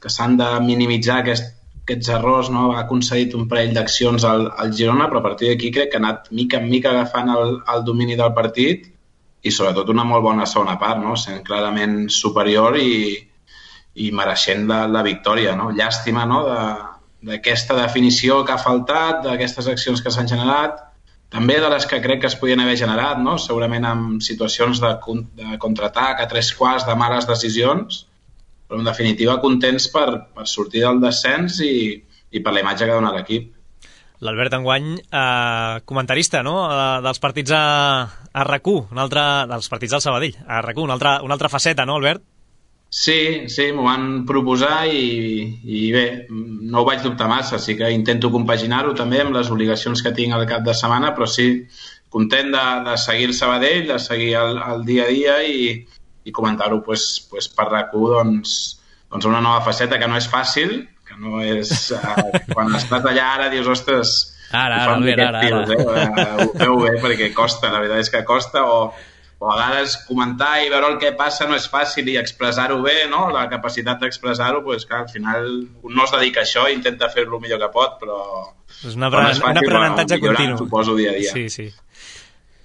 J: que s'han de minimitzar aquests errors, no? Ha concedit un parell d'accions al Girona, però a partir d'aquí crec que ha anat mica en mica agafant el domini del partit i sobretot una molt bona segona part, no? Sent clarament superior i mereixent la victòria, no? Llàstima, no? D'aquesta definició que ha faltat, d'aquestes accions que s'han generat, també de les que crec que es podien haver generat, no? Segurament amb situacions de contraatac a 3/4 de males decisions, però en definitiva contents per sortir del descens i per la imatge que dona l'equip.
B: L'Albert enguany, comentarista, no?, dels partits a RAC1, dels partits del Sabadell, a RAC1, una altra faceta, no, Albert?
J: Sí, m'ho van proposar i bé, no ho vaig dubtar massa, sí que intento compaginar-ho també amb les obligacions que tinc al cap de setmana, però sí, content de seguir el Sabadell, de seguir el dia a dia i comentar-ho per RAC1, doncs una nova faceta que no és fàcil, que no és... quan estàs allà ara dius, ostres,
C: ara.
J: Ho feu bé perquè costa, la veritat és que costa, o a vegades comentar i veure el que passa no és fàcil i expressar-ho bé, no? La capacitat d'expressar-ho, doncs clar, al final un no es dedica a això i intenta fer-lo el millor que pot, però
B: és un aprenentatge continu.
J: Suposo dia a dia.
B: Sí, sí.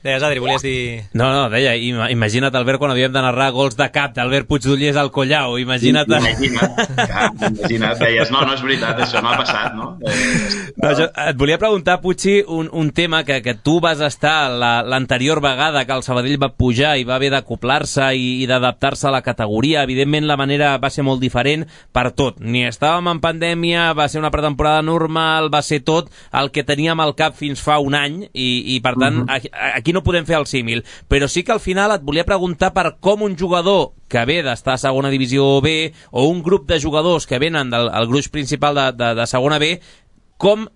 B: Deies, Adri, volies dir...
C: No, deia, imagina't, Albert, quan havíem de narrar gols de cap d'Albert Puigdollers al Collao, imagina't...
J: Imagina't, deies, no és veritat, això no ha passat, no?
C: No, et volia preguntar, Puigci, un tema que tu vas estar l'anterior vegada que el Sabadell va pujar i va haver d'acoplar-se i d'adaptar-se a la categoria. Evidentment, la manera va ser molt diferent per tot. Ni estàvem en pandèmia, va ser una pretemporada normal, va ser tot el que teníem al cap fins fa un any i per tant, aquí no podem fer el símil, però sí que al final et volia preguntar per com un jugador que ve d'estar a segona divisió B o un grup de jugadors que venen del gruix principal de segona B, com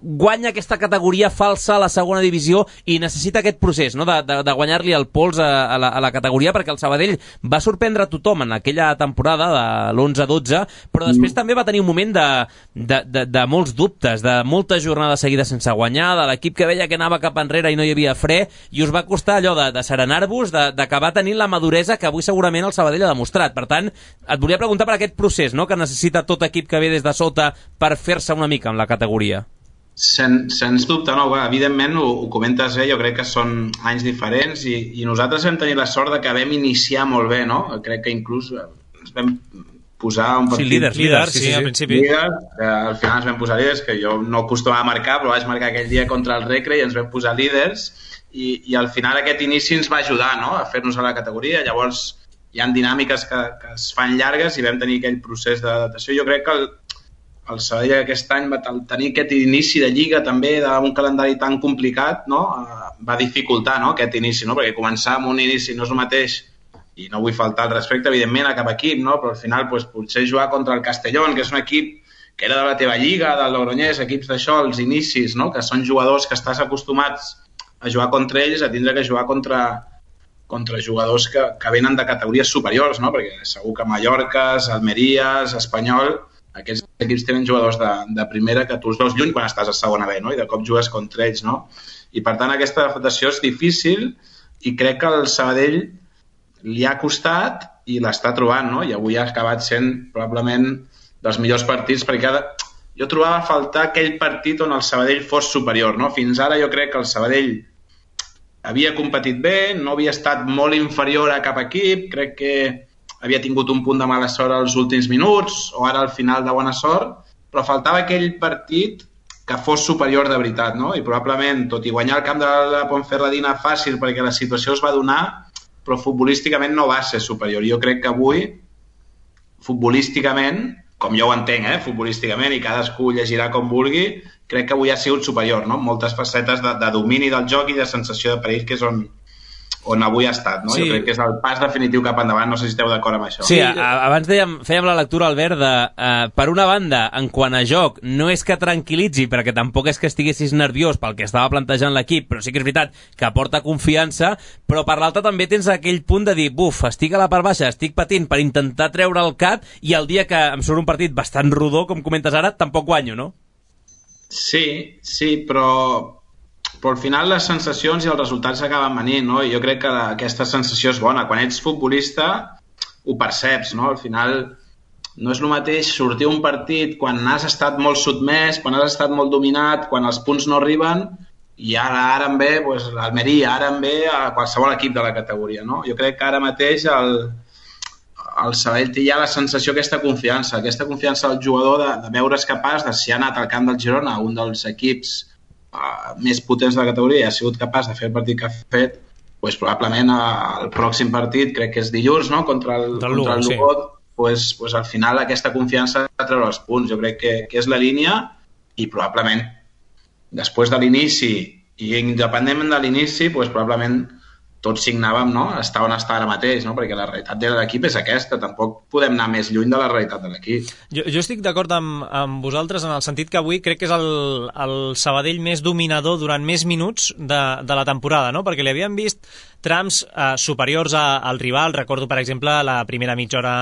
C: guanya aquesta categoria falsa a la segona divisió i necessita aquest procés, no? de guanyar-li el pols a la categoria, perquè el Sabadell va sorprendre tothom en aquella temporada de l'11-12, però després també va tenir un moment de molts dubtes, de moltes jornades seguides sense guanyar, de l'equip que veia que anava cap enrere i no hi havia fre, i us va costar allò de serenar-vos, d'acabar tenint la maduresa que avui segurament el Sabadell ha demostrat. Per tant, et volia preguntar per aquest procés, no?, que necessita tot equip que ve des de sota per fer-se una mica amb la categoria.
J: Sens dubte, no, evidentment ho comentes bé, jo crec que són anys diferents i nosaltres vam tenir la sort de que vam iniciar molt bé, no? Crec que inclús ens vam posar un partit...
B: Sí, líders, sí, al principi.
J: Líders, al final ens vam posar líders, que jo no acostumava a marcar, però vaig marcar aquell dia contra el Recre i ens vam posar líders i al final aquest inici ens va ajudar, no?, a fer-nos a la categoria. Llavors hi ha dinàmiques que es fan llargues i vam tenir aquell procés d'adaptació. Jo crec que el Sabadell aquest any va tenir aquest inici de Lliga també d'un calendari tan complicat, no? Va dificultar, no?, aquest inici, no? Perquè començar amb un inici no és el mateix, i no vull faltar el respecte evidentment a cap equip, no? Però al final potser jugar contra el Castellón, que és un equip que era de la teva Lliga, del Logroñés, equips d'això, els inicis, no?, que són jugadors que estàs acostumats a jugar contra ells, a tindre que jugar contra jugadors que venen de categories superiors, no? Perquè segur que Mallorca, Almeria, Espanyol, aquests equips tenen jugadors de primera que tu els veus lluny quan estàs a segona B, no? I de cop jugues contra ells, no? I per tant aquesta adaptació és difícil i crec que el Sabadell li ha costat i l'està trobant, no? I avui ha acabat sent probablement dels millors partits, perquè jo trobava a faltar aquell partit on el Sabadell fos superior, no? Fins ara jo crec que el Sabadell havia competit bé, no havia estat molt inferior a cap equip, crec que havia tingut un punt de mala sort als últims minuts o ara al final de bona sort, però faltava aquell partit que fos superior de veritat, no? I probablement, tot i guanyar el camp de la Ponferradina fàcil perquè la situació es va donar, però futbolísticament no va ser superior. Jo crec que avui, futbolísticament, com jo ho entenc, futbolísticament, i cadascú llegirà com vulgui, crec que avui ha sigut superior, no? Moltes facetes de domini del joc i de sensació de perill, que és on avui ha estat, no? Sí. Jo crec que és el pas definitiu cap endavant, no sé si esteu d'acord amb això.
C: Sí, abans fèiem la lectura, Albert, per una banda, en quant a joc, no és que tranquil·litzi, perquè tampoc és que estiguessis nerviós pel que estava plantejant l'equip, però sí que és veritat que aporta confiança, però per l'altra també tens aquell punt de dir, estic a la part baixa, estic patint per intentar treure el cap i el dia que em surt un partit bastant rodó, com comentes ara, tampoc guanyo, no?
J: Sí, però al final les sensacions i els resultats acaben venint, no? I jo crec que aquesta sensació és bona. Quan ets futbolista ho perceps, no? Al final no és el mateix sortir un partit quan has estat molt sotmès, quan has estat molt dominat, quan els punts no arriben, i ara en ve l'Almeria, ara en ve a qualsevol equip de la categoria, no? Jo crec que ara mateix el Sabadell té ja la sensació, aquesta confiança del jugador de veure's capaç de, si ha anat al camp del Girona, un dels equips més potents de la categoria, i ha sigut capaç de fer el partit que ha fet, doncs probablement el pròxim partit, crec que és dilluns, no?, contra el Lugo, sí. Doncs al final aquesta confiança de treure els punts, jo crec que és la línia, i probablement després de l'inici i independentment de l'inici, doncs probablement tots signàvem, no?, estar on està ara mateix, no?, perquè la realitat de l'equip és aquesta, tampoc podem anar més lluny de la realitat de l'equip.
B: Jo estic d'acord amb vosaltres en el sentit que avui crec que és el Sabadell més dominador durant més minuts de la temporada, no?, perquè li havíem vist trams superiors al rival. Recordo, per exemple, la primera mitja hora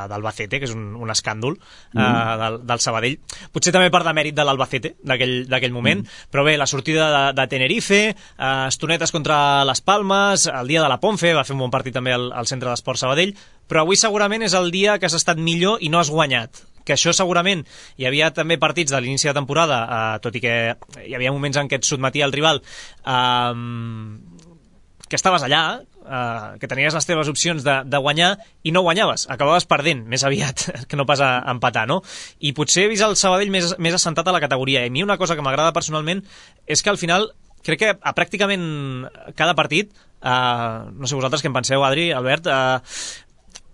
B: d'Albacete, que és un escàndol del Sabadell. Potser també per demèrit de l'Albacete d'aquell moment, però bé, la sortida de Tenerife, estonetes contra les Palmes, el dia de la Ponfe, va fer un bon partit també al Centre d'Esport Sabadell, però avui segurament és el dia que has estat millor i no has guanyat. Que això segurament, hi havia també partits de l'inici de temporada, tot i que hi havia moments en què et sotmetia el rival, que estaves allà, que tenies les teves opcions de guanyar i no guanyaves, acabaves perdent més aviat que no pas a empatar, no? I potser he vist el Sabadell més assentat a la categoria. I a mi una cosa que m'agrada personalment és que al final crec que a pràcticament cada partit, no sé vosaltres què en penseu, Adri, Albert,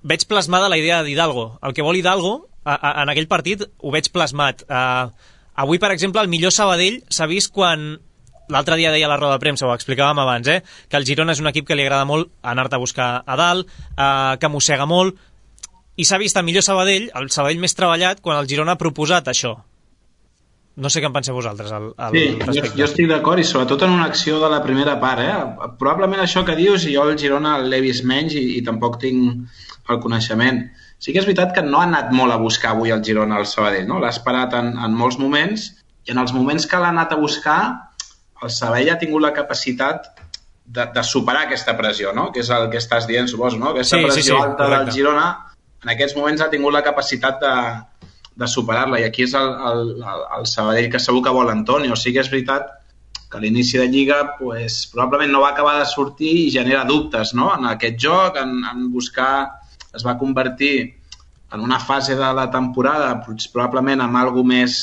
B: veig plasmada la idea d'Hidalgo. El que vol Hidalgo en aquell partit ho veig plasmat. Avui, per exemple, el millor Sabadell s'ha vist quan l'altre dia deia a la roda de premsa, ho explicàvem abans, que el Girona és un equip que li agrada molt anar-te a buscar a dalt, que mossega molt, i s'ha vist el millor Sabadell, el Sabadell més treballat, quan el Girona ha proposat això. No sé què en penseu vosaltres al respecte.
J: Jo estic d'acord, i sobretot en una acció de la primera part. Probablement això que dius, i jo el Girona l'he vist menys i tampoc tinc el coneixement. Sí que és veritat que no ha anat molt a buscar avui el Girona al Sabadell, no? L'ha esperat en molts moments, i en els moments que l'ha anat a buscar, el Sabadell ha tingut la capacitat de superar aquesta pressió, no? Que és el que estàs dient, suposo, no? Aquesta pressió alta del Girona, en aquests moments ha tingut la capacitat de superar-la, i aquí és el Sabadell que segur que vol Antonio. O sigui que és veritat que a l'inici de Lliga probablement no va acabar de sortir i genera dubtes, no? En aquest joc, en buscar... Es va convertir en una fase de la temporada probablement amb algo més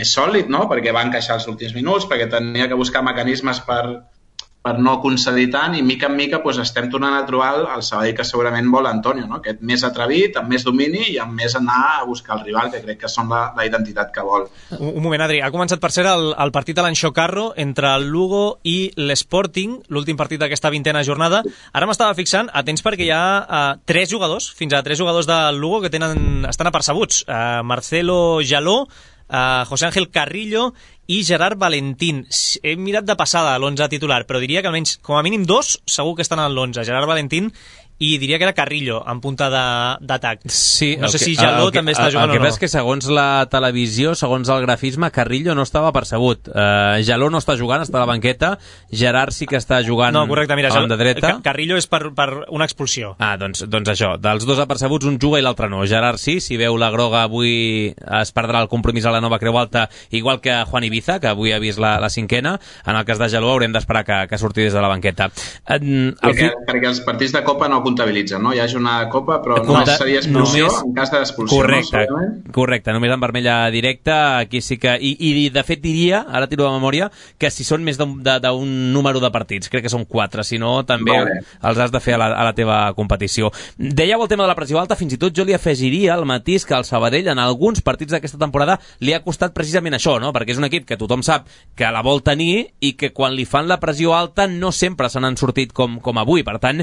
J: sòlid, no? Perquè va encaixar els últims minuts, perquè tenia que buscar mecanismes per no concedir tant, i mica en mica estem tornant a trobar el Sabadell que segurament vol Antonio, no? Aquest més atrevit, amb més domini i amb més anar a buscar el rival, que crec que són la identitat que vol.
B: Un moment, Adri, ha començat per ser el partit a l'Anxo Carro entre el Lugo i l'Sporting, l'últim partit d'aquesta 20a jornada. Ara m'estava fixant, atents, perquè hi ha 3 jugadors, fins a 3 jugadors del Lugo que estan apercebuts. Marcelo Jaló, José Ángel Carrillo i Gerard Valentín. He mirat de passada l'11 titular, però diria que almenys com a mínim 2 segur que estan en l'11, Gerard Valentín i diria que era Carrillo en punta d'atac.
C: Sí,
B: no sé si Jaló també està jugant o no.
C: El que passa és que segons la televisió, segons el grafisme, Carrillo no estava percebut. Jaló no està jugant, està a la banqueta. Gerard sí que està jugant a banda dreta.
B: Carrillo és per una expulsió.
C: Doncs això, dels dos apercebuts un juga i l'altre no. Gerard sí, si veu la groga avui es perdrà el compromís a la Nova Creu Alta, igual que Juan Ibiza, que avui ha vist la 5a. En el cas de Jaló haurem d'esperar que surti des de la banqueta.
J: Perquè els partits de Copa no comptabilitzen, no? Hi ha jornada de Copa, però només seria expulsió en cas d'expulsió.
C: Correcte, només en vermella directa. Aquí sí que... I de fet diria, ara tiro de memòria, que si són més d'un número de partits, crec que són 4, si no també els has de fer a la teva competició. Dèieu el tema de la pressió alta, fins i tot jo li afegiria el matís que el Sabadell en alguns partits d'aquesta temporada li ha costat precisament això, no? Perquè és un equip que tothom sap que la vol tenir i que quan li fan la pressió alta no sempre se n'han sortit com avui. Per tant,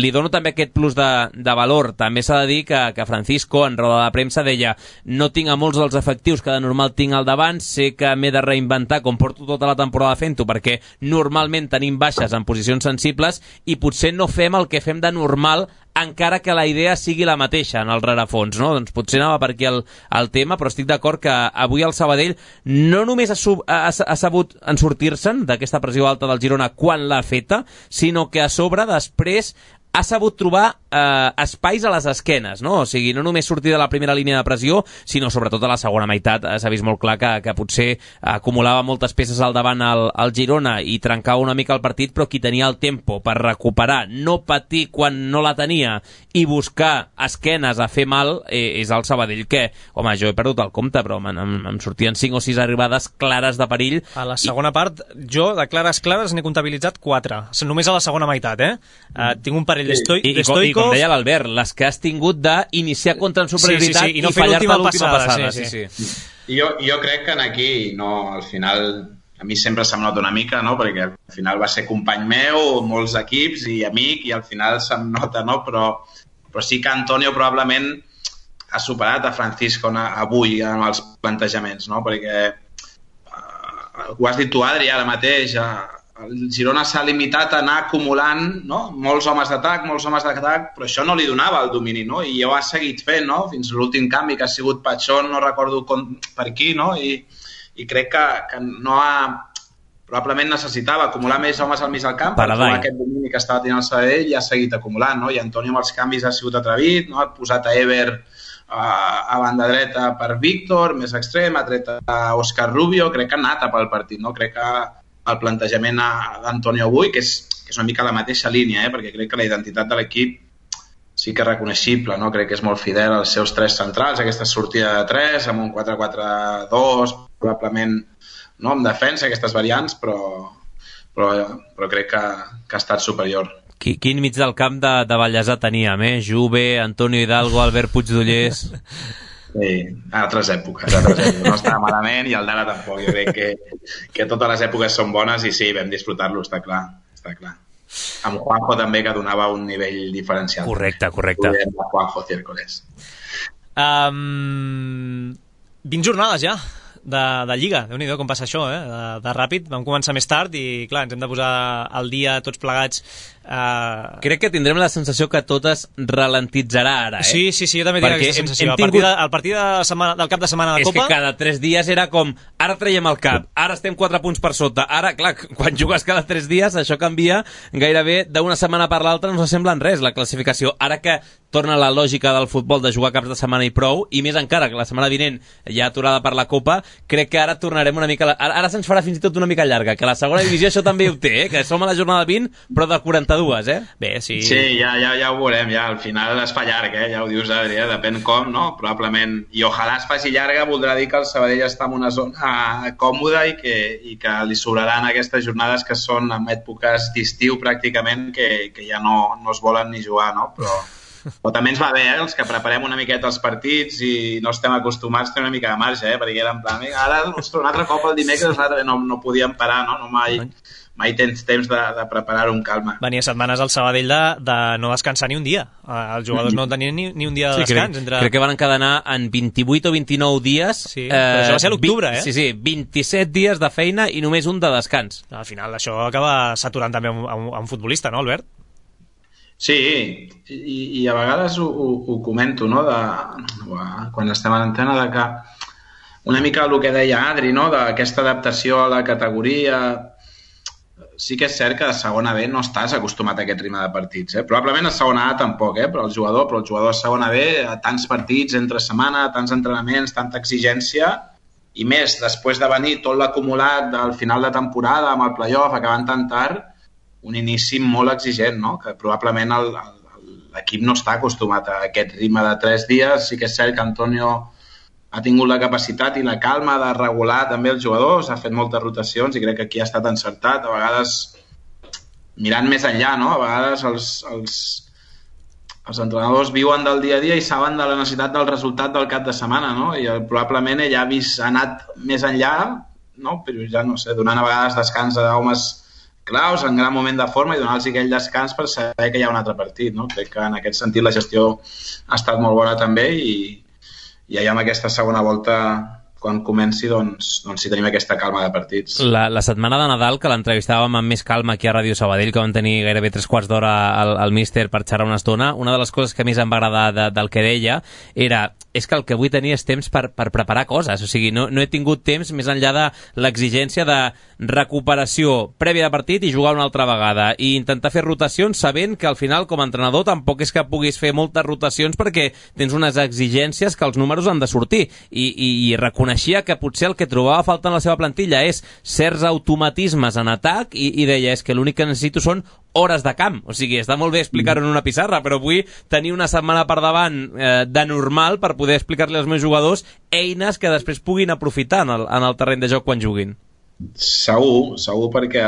C: li dono també aquest plus de valor. També s'ha de dir que Francisco en roda de premsa deia: no tinc a molts dels efectius que de normal tinc al davant, sé que m'he de reinventar com porto tota la temporada fent-ho, perquè normalment tenim baixes en posicions sensibles i potser no fem el que fem de normal, encara que la idea sigui la mateixa en el rerefons, no? Doncs potser anava per aquí el tema, però estic d'acord que avui el Sabadell no només ha sabut en sortir-se'n d'aquesta pressió alta del Girona quan l'ha feta, sinó que a sobre després ha sabut trobar espais a les esquenes, no? O sigui, no només sortir de la primera línia de pressió, sinó sobretot a la segona meitat. S'ha vist molt clar que potser acumulava moltes peces al davant el Girona i trencava una mica el partit, però qui tenia el tempo per recuperar, no patir quan no la tenia i buscar esquenes a fer mal és el Sabadell, que, home, jo he perdut el compte, però em sortien 5 o 6 arribades clares de perill.
B: A la segona part, jo de clares n'he comptabilitzat 4, només a la segona meitat, tinc un parell d'estoicos.
C: I com deia l'Albert, les que has tingut d'iniciar contra en superioritat
B: i no fer l'última passada.
J: Jo crec que aquí, no, al final, a mi sempre se'm nota una mica, no? Perquè al final va ser company meu, molts equips i amic, i al final se'm nota, no? Però sí que Antonio probablement ha superat a Francisco avui amb els plantejaments, no? Perquè ho has dit tu, Adri, ara mateix, el Girona s'ha limitat a anar acumulant, no? Molts homes d'atac, però això no li donava el domini, no? I ho ha seguit fent, no? Fins l'últim canvi, que ha sigut Pachón, no recordo per qui, no? I crec que no ha... Probablement necessitava acumular més homes al mig del camp per trobar aquest domini que estava tenint el Sabadell i ha seguit acumulant, no? I Antonio amb els canvis ha sigut atrevit, no? Ha posat a Ever a banda dreta per Víctor, més extrem, ha tret a Òscar Rubio, crec que ha anat a pel partit, no? Crec que el plantejament d'Antonio avui, que és una mica la mateixa línia, perquè crec que la identitat de l'equip sí que és reconeixible, no? Crec que és molt fidel als seus tres centrals, aquesta sortida de 3, amb un 4-4-2, probablement no amb defensa, aquestes variants, però crec que ha estat superior.
C: Quin mig del camp de Vallèsà teníem, Juve, Antonio Hidalgo, Albert Puigdollers...
J: Sí, altres èpoques. No estava malament i el d'ara tampoc. Jo crec que totes les èpoques són bones i sí, vam disfrutar-lo, està clar. Amb Juanjo també, que donava un nivell diferencial.
C: Correcte.
J: Juanjo Ciércoles.
B: 20 jornades ja de Lliga, Déu-n'hi-do com passa això, de ràpid. Vam començar més tard i clar, ens hem de posar al dia tots plegats.
C: Crec que tindrem la sensació que tot es ralentitzarà ara,
B: Sí, jo també tinc aquesta sensació. El partit del cap de setmana de Copa...
C: És que cada 3 dies era com, ara traiem el cap, ara estem 4 punts per sota, ara, clar, quan jugues cada 3 dies això canvia gairebé d'una setmana per l'altra, no s'assembla en res la classificació. Ara que torna la lògica del futbol de jugar caps de setmana i prou, i més encara que la setmana vinent ja aturada per la Copa, crec que ara tornarem una mica... Ara se'ns farà fins i tot una mica llarga, que la segona divisió això també ho té, que som a la jornada 20, però de 42,
B: Bé, sí.
J: Sí, ja ho veurem, ja al final es fa llarg, ja ho dius, Adrià, depèn com, no? Probablement, i ojalà es faci llarga, voldrà dir que el Sabadell està en una zona còmoda i que li sobraran aquestes jornades que són en èpoques d'estiu pràcticament, que ja no es volen ni jugar, no? Però també ens va bé, els que preparem una miqueta els partits i no estem acostumats, té una mica de marge, perquè era en plan, ara un altre cop el dimecres no podíem parar, no? Mai tens temps de preparar-ho amb calma.
B: Venia setmanes al Sabadell de no descansar ni un dia. Els jugadors no tenien ni un dia de descans.
C: Crec que van encadenar en 28 o 29 dies.
B: Sí, però això va ser a l'octubre,
C: Sí, 27 dies de feina i només un de descans.
B: Al final això acaba saturant també un futbolista, no, Albert?
J: Sí, i a vegades ho comento, no? Quan estem a l'antena, de que una mica el que deia Adri, no? D'aquesta adaptació a la categoria... Sí que és cert que a segona B no estàs acostumat a aquest ritme de partits. Probablement a segona A tampoc, però el jugador a segona B, a tants partits entre setmana, tants entrenaments, tanta exigència, i més, després de venir tot l'acumulat del final de temporada amb el play-off acabant tan tard, un inici molt exigent, no? Que probablement l'equip no està acostumat a aquest ritme de 3 dies. Sí que és cert que Antonio ha tingut la capacitat i la calma de regular també els jugadors, ha fet moltes rotacions i crec que aquí ha estat encertat. A vegades mirant més enllà, no? A vegades els entrenadors viuen del dia a dia i saben de la necessitat del resultat del cap de setmana, no? I probablement ell ha anat més enllà, no? Però ja no sé, donant a vegades descans a homes claus, en gran moment de forma, i donar-los aquell descans per saber que hi ha un altre partit, no? Crec que en aquest sentit la gestió ha estat molt bona també i ja amb aquesta segona volta, quan comenci, doncs si tenim aquesta calma de partits.
C: La setmana de Nadal, que l'entrevistàvem amb més calma aquí a Ràdio Sabadell, que vam tenir gairebé 3/4 d'hora al míster per xerrar una estona, una de les coses que més em va agradar del que deia és que el que vull tenir és temps per preparar coses. O sigui, no he tingut temps més enllà de l'exigència de recuperació prèvia de partit i jugar una altra vegada, i intentar fer rotacions sabent que al final, com a entrenador, tampoc és que puguis fer moltes rotacions perquè tens unes exigències que els números han de sortir, i reconeixia que potser el que trobava a falta en la seva plantilla és certs automatismes en atac, i deia, és que l'únic que necessito són hores de camp. O sigui, està molt bé explicar-ho en una pissarra, però vull tenir una setmana per davant de normal per poder explicar-li als meus jugadors eines que després puguin aprofitar en el terreny de joc quan juguin.
J: Segur, perquè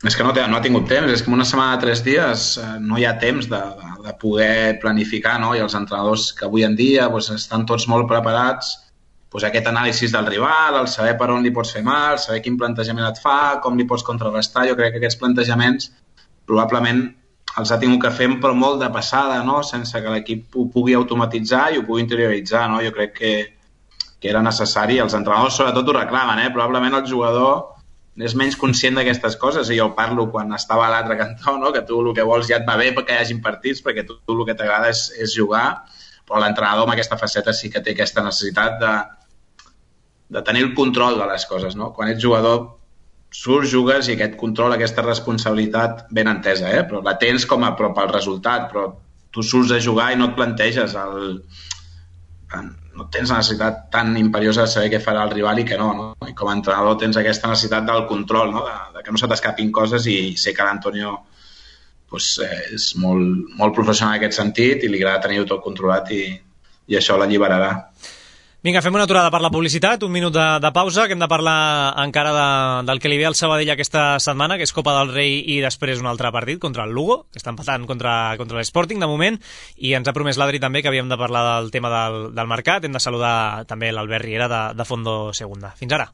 J: és que no ha tingut temps, és que en una setmana de 3 dies no hi ha temps de poder planificar, no? I els entrenadors que avui en dia estan tots molt preparats, aquest anàlisi del rival, el saber per on li pots fer mal, saber quin plantejament et fa, com li pots contrarrestar. Jo crec que aquests plantejaments probablement els ha tingut que fer però molt de passada, no? Sense que l'equip ho pugui automatitzar i ho pugui interioritzar, no? Jo crec que era necessari. Els entrenadors sobretot ho reclamen, probablement el jugador és menys conscient d'aquestes coses, i jo parlo quan estava a l'altre cantó, no? Que tu el que vols ja et va bé perquè hi hagin partits, perquè tu el que t'agrada és jugar, però l'entrenador amb aquesta faceta sí que té aquesta necessitat de tenir el control de les coses, no? Quan ets jugador surts, jugues, i aquest control, aquesta responsabilitat ben entesa, però la tens com a prop al resultat, però tu surts a jugar i no et planteges no tens la necessitat tan imperiosa de saber què farà el rival i què no? I com a entrenador tens aquesta necessitat del control, no? De que no se t'escapin coses, i sé que l'Antonio és molt professional en aquest sentit i li agrada tenir-ho tot controlat, i això l'alliberarà.
B: Vinga, fem una aturada per la publicitat, un minut de pausa, que hem de parlar encara del que li ve al Sabadell aquesta setmana, que és Copa del Rei i després un altre partit contra el Lugo, que està empatant contra l'Sporting de moment, i ens ha promès l'Adri també que havíem de parlar del tema del mercat. Hem de saludar també l'Albert Riera de Fondo Segunda. Fins ara.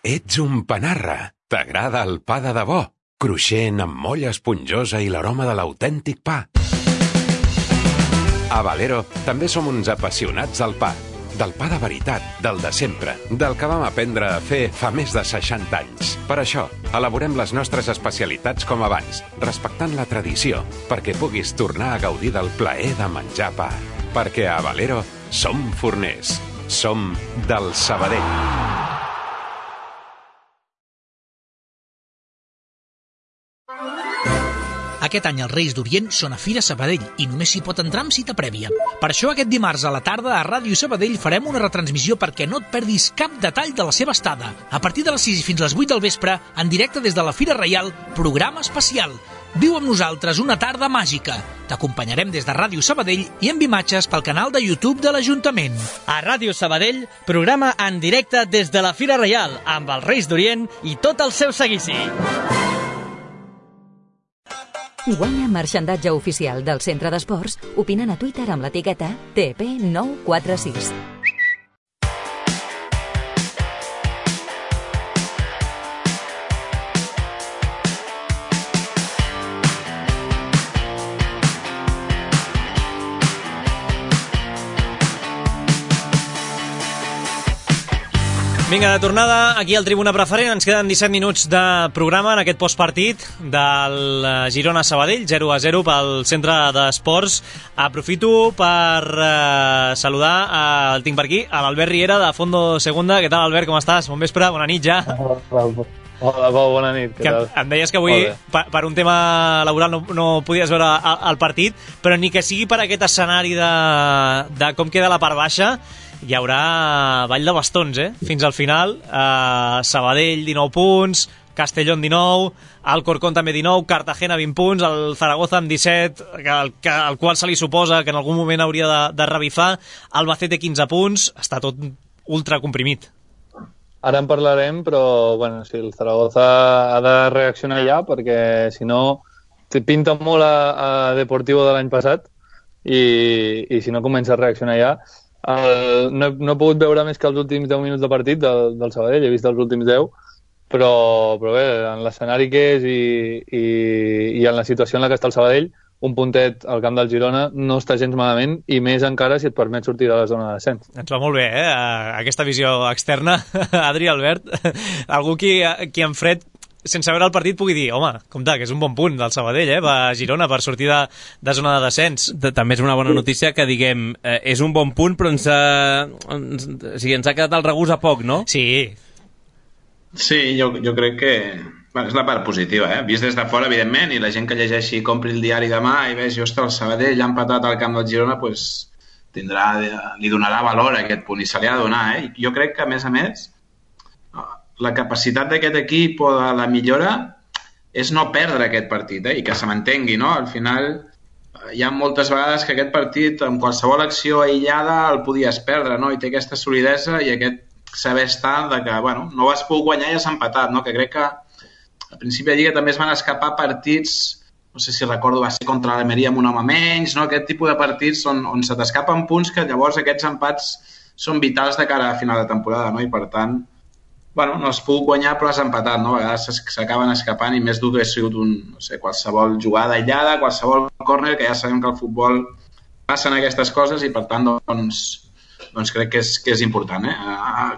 K: Ets un panarra. T'agrada el pa de debò? Cruixent, amb molla esponjosa i l'aroma de l'autèntic pa. A Valero també som uns apassionats del pa. Del pa de veritat, del de sempre, del que vam aprendre a fer fa més de 60 anys. Per això, elaborem les nostres especialitats com abans, respectant la tradició, perquè puguis tornar a gaudir del plaer de menjar pa. Perquè a Valero som forners. Som del Sabadell.
L: Aquest any els Reis d'Orient són a Fira Sabadell i només s'hi pot entrar amb cita prèvia. Per això aquest dimarts a la tarda a Ràdio Sabadell farem una retransmissió perquè no et perdis cap detall de la seva estada. A partir de les 6 fins les 8 del vespre, en directe des de la Fira Reial, programa especial. Viu amb nosaltres una tarda màgica. T'acompanyarem des de Ràdio Sabadell i amb imatges pel canal de YouTube de l'Ajuntament.
M: A Ràdio Sabadell, programa en directe des de la Fira Reial, amb els Reis d'Orient i tot el seu seguici.
A: Guanya marxandatge oficial del Centre d'Esports opinant a Twitter amb l'etiqueta TP946.
B: Vinga, de tornada aquí al Tribuna Preferent. Ens queden 17 minuts de programa en aquest postpartit del Girona-Sabadell, 0-0 pel Centre d'Esports. Aprofito per saludar, el tinc per aquí, a l'Albert Riera de Fondo Segunda. Què tal, Albert, com estàs? Bon vespre, bona nit ja.
E: Hola, Pau, bona nit. Què tal?
B: Em deies que avui, per un tema laboral, no podies veure el partit, però ni que sigui per aquest escenari de com queda la part baixa, hi haurà ball de bastons, fins al final. Sabadell 19 punts, Castellón 19, Alcorcón també 19, Cartagena 20 punts, el Zaragoza amb 17, al qual se li suposa que en algun moment hauria de revifar, Albacete 15 punts, està tot ultra comprimit.
E: Ara en parlarem, però bueno, sí, el Zaragoza ha de reaccionar ja, perquè si no pinta molt a Deportivo de l'any passat, i si no comença a reaccionar ja. No he pogut veure més que els últims 10 minuts de partit del Sabadell, he vist els últims 10, però bé, en l'escenari que és i en la situació en la que està el Sabadell, un puntet al camp del Girona no està gens malament, i més encara si et permet sortir de la zona de descens.
B: Ens va molt bé, aquesta visió externa, Adri, Albert. Algú qui en fred, sense veure el partit, pugui dir, home, compte, que és un bon punt del Sabadell, a Girona, per sortir de zona de descens.
C: També és una bona notícia que diguem, és un bon punt, però ens ha quedat el regust a poc, no?
B: Sí.
J: Sí, jo crec que és la part positiva, vist des de fora, evidentment, i la gent que llegeixi i compri el diari demà i vegi, ostres, el Sabadell ha empatat al camp del Girona, doncs li donarà valor a aquest punt, i se li ha de donar. Jo crec que, a més, la capacitat d'aquest equip o de la millora és no perdre aquest partit, i que se mantengui, no? Al final hi ha moltes vegades que aquest partit, amb qualsevol acció aïllada, el podies perdre, no? I té aquesta solidesa i aquest saber estar de que, bueno, no vas poder guanyar i has empatat, no? Que crec que al principi de Lliga també es van escapar partits, no sé si recordo, va ser contra l'Almeria amb un home menys, no? Aquest tipus de partits on se t'escapen punts que llavors aquests empats són vitals de cara a final de temporada, no? I per tant, bueno, no has pogut guanyar però has empatat, no? A vegades s'acaben escapant i més dur que ha sigut qualsevol jugada aïllada, qualsevol córner, que ja sabem que al futbol passen aquestes coses i per tant doncs crec que és important,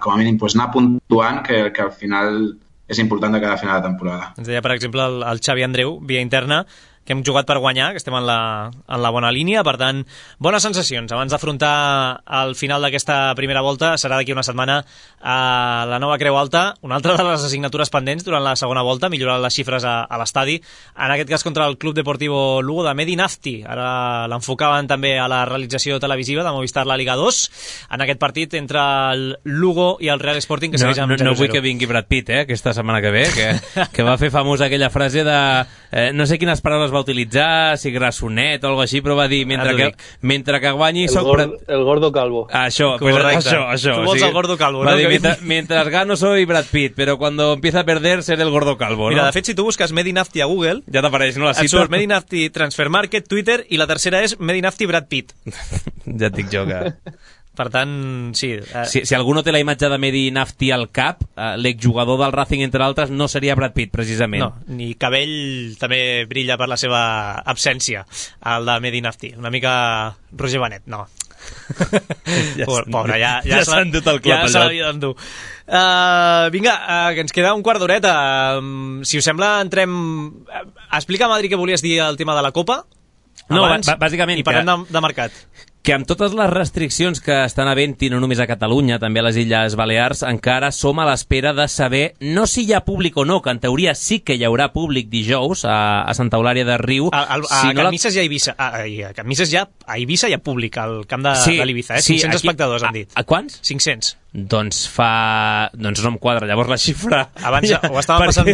J: com a mínim anar puntuant, que al final és important de cada final de temporada.
B: Ens deia, per exemple, el Xavi Andreu, via interna, que hem jugat per guanyar, que estem en la bona línia, per tant, bones sensacions. Abans d'afrontar el final d'aquesta primera volta, serà d'aquí una setmana a la nova Creu Alta, una altra de les assignatures pendents durant la segona volta, millorar les xifres a l'estadi, en aquest cas contra el Club Deportivo Lugo de Medi Nafti. Ara l'enfocaven també a la realització televisiva de Movistar la Liga 2, en aquest partit entre el Lugo i el Real Sporting, que segueix amb 0-0.
C: No vull que vingui Brad Pitt, aquesta setmana que ve, que va fer famosa aquella frase de... no sé quines paraules va utilitzar, si grassonet o alguna així, però va dir, mentre que guanyi...
N: El gordo calvo.
C: Això.
B: Tu vols el gordo calvo, no?
C: Mientras gano soy Brad Pitt, pero cuando empieza a perder seré el gordo calvo, ¿no?
B: Mira, de fet, si tu busques Medi Nafti a Google...
C: Ja t'apareix, no? La cita.
B: Et surt Medi Nafti Transfer Market, Twitter, i la tercera és Medi Nafti Brad Pitt.
C: Ja et dic jo que...
B: Per tant, sí.
C: Si algú no té la imatge de Medi Nafti al cap, l'exjugador del Racing, entre altres, no seria Brad Pitt, precisament.
B: No, ni cabell també brilla per la seva absència, el de Medi Nafti. Una mica Roger Benet, no. Pobre, ja
C: s'ha endut el clop,
B: ja se l'havia d'endur. Vinga, que ens queda un quart d'horeta. Si us sembla, entrem... Explica'm, Adri, què volies dir al tema de la Copa abans,
C: bàsicament,
B: i parlem de mercat.
C: Que amb totes les restriccions que estan havent, i no només a Catalunya, també a les Illes Balears, encara som a l'espera de saber no si hi ha públic o no, que en teoria sí que hi haurà públic dijous a Santa Eulària de Riu.
B: A Can Misses i a Eivissa. A Can Misses a Eivissa hi ha públic, al camp de l'Ibiza. 500 espectadors, han dit.
C: A quants?
B: 500.
C: Doncs no em quadra. Llavors la xifra...
B: Abans ho estàvem passant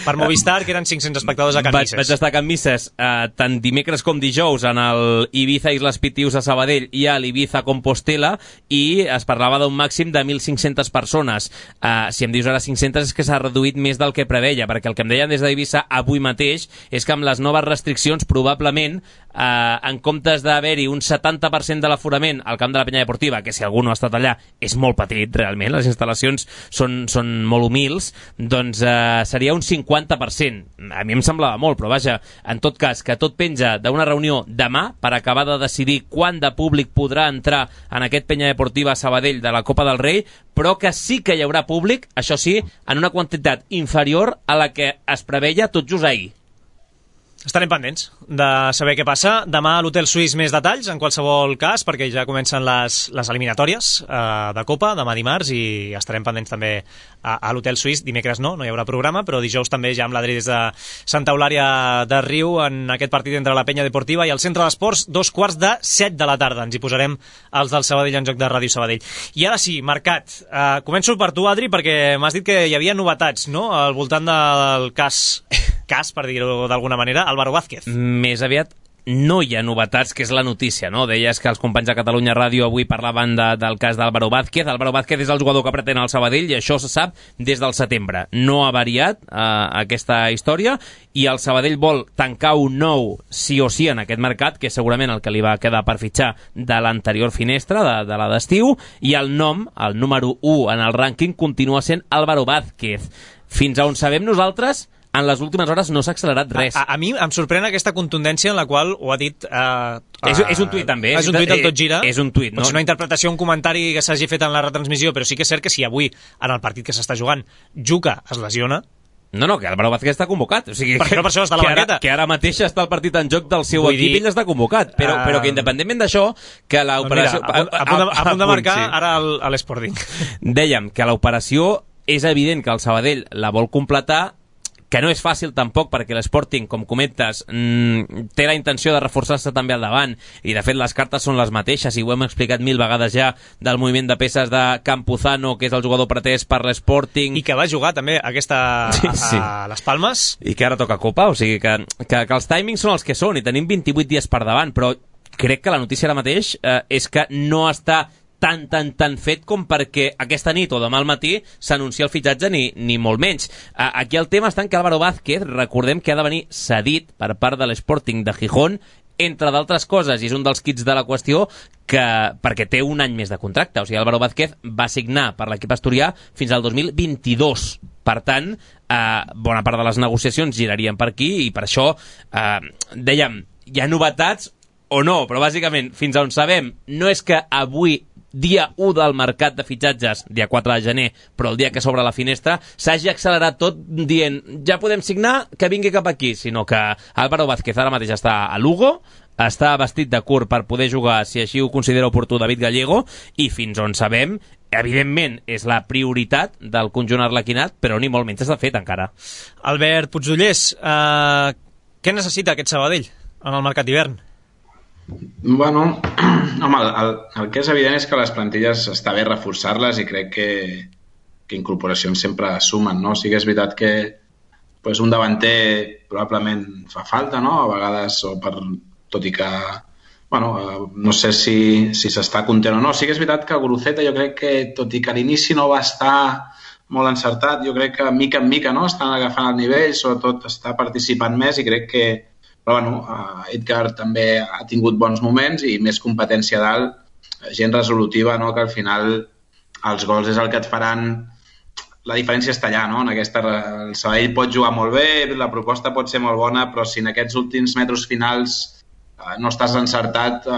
B: per Movistar, que eren 500 espectadors a Can Misses.
C: Vaig estar a Can Misses tant dimecres com dijous en el Ibiza Islas Pitius a Sabadell i a l'Ibiza Compostela, i es parlava d'un màxim de 1.500 persones. Si em dius ara 500 és que s'ha reduït més del que preveia, perquè el que em deien des d'Ibiza avui mateix és que amb les noves restriccions probablement en comptes d'haver-hi un 70% de l'aforament al camp de la Penya Deportiva, que si algú no ha estat allà és molt petit realment, les instal·lacions són molt humils, doncs seria un 50%. A mi em semblava molt, però vaja, en tot cas, que tot penja d'una reunió demà per acabar de decidir quant de públic podrà entrar en aquest Penya Deportiva Sabadell de la Copa del Rei, però que sí que hi haurà públic, això sí, en una quantitat inferior a la que es preveia tot just ahir.
B: Estarem pendents de saber què passa. Demà a l'Hotel Suís més detalls, en qualsevol cas, perquè ja comencen les eliminatòries de Copa, demà dimarts, i estarem pendents també a l'Hotel Suís. Dimecres no hi haurà programa, però dijous també ja amb l'Adri des de Santa Eulària de Riu en aquest partit entre la Penya Deportiva i el Centre d'Esports, 7:15 de la tarda. Ens hi posarem els del Sabadell en joc de Ràdio Sabadell. I ara sí, mercat. Començo per tu, Adri, perquè m'has dit que hi havia novetats, no?, al voltant del cas, per dir-ho d'alguna manera, Álvaro Vázquez.
C: Més aviat no hi ha novetats, que és la notícia, no? Deies que els companys de Catalunya Ràdio avui parlaven del cas d'Álvaro Vázquez. Álvaro Vázquez és el jugador que pretén el Sabadell i això se sap des del setembre. No ha variat aquesta història i el Sabadell vol tancar un nou sí o sí en aquest mercat, que és segurament el que li va quedar per fitxar de l'anterior finestra, de la d'estiu, i el nom, el número 1 en el rànquing, continua sent Álvaro Vázquez. Fins a on sabem nosaltres, en les últimes hores no s'ha accelerat res.
B: A mi em sorprèn aquesta contundència en la qual ho ha dit...
C: És un tuit també.
B: És un tuit del tot gira.
C: És un tuit, no?
B: Pot ser una interpretació, un comentari que s'hagi fet en la retransmissió, però sí que és cert que si avui, en el partit que s'està jugant, Juca es lesiona...
C: No, que Álvaro Vázquez està convocat. O sigui,
B: per això està a la banqueta.
C: Que ara mateix està el partit en joc del seu equip i ell està convocat. Però que independentment d'això, que l'operació...
B: A punt de marcar ara a l'Sporting.
C: Dèiem que l'operació és evident que el Sabadell la vol completar, que no és fàcil tampoc perquè l'Sporting, com comentes, té la intenció de reforçar-se també al davant, i de fet les cartes són les mateixes, i ho hem explicat 1000 vegades ja, del moviment de peces de Campuzano, que és el jugador pretès per l'Sporting.
B: I que va jugar també a les Palmes.
C: I que ara toca Copa, o sigui que els timings són els que són, i tenim 28 dies per davant, però crec que la notícia ara mateix és que no està tan fet com perquè aquesta nit o demà al matí s'anuncia el fitxatge ni molt menys. Aquí el tema està en que Álvaro Vázquez, recordem que ha de venir cedit per part de l'Sporting de Gijón entre d'altres coses, i és un dels quits de la qüestió, perquè té un any més de contracte. O sigui, Álvaro Vázquez va signar per l'equip asturià fins al 2022. Per tant, bona part de les negociacions girarien per aquí, i per això dèiem, hi ha novetats o no, però bàsicament, fins on sabem, no és que avui, dia 1 del mercat de fitxatges, dia 4 de gener, però el dia que s'obre la finestra, s'hagi accelerat tot dient, ja podem signar, que vingui cap aquí, sinó que Álvaro Vázquez ara mateix està a Lugo, està vestit de curt per poder jugar, si així ho considera oportú, David Gallego, i fins on sabem, evidentment, és la prioritat del conjunt arlequinat, però ni molt menys està fet encara.
B: Albert Puigdollers, què necessita aquest Sabadell en el mercat d'hivern?
J: Bueno, home, el que és evident és que les plantilles està bé reforçar-les, i crec que incorporacions sempre sumen, no? Sí que és veritat que pues, un davanter probablement fa falta, no? A vegades, tot i que no sé si s'està content o no. Sí que és veritat que Guruceta, jo crec que, tot i que a l'inici no va estar molt encertat, jo crec que mica en mica, no? Estan agafant el nivell, sobretot està participant més, i crec que Edgar també ha tingut bons moments i més competència dalt, gent resolutiva, no? Que al final els gols és el que et faran. La diferència està allà, no? El Sabadell pot jugar molt bé, la proposta pot ser molt bona, però si en aquests últims metres finals no estàs encertat,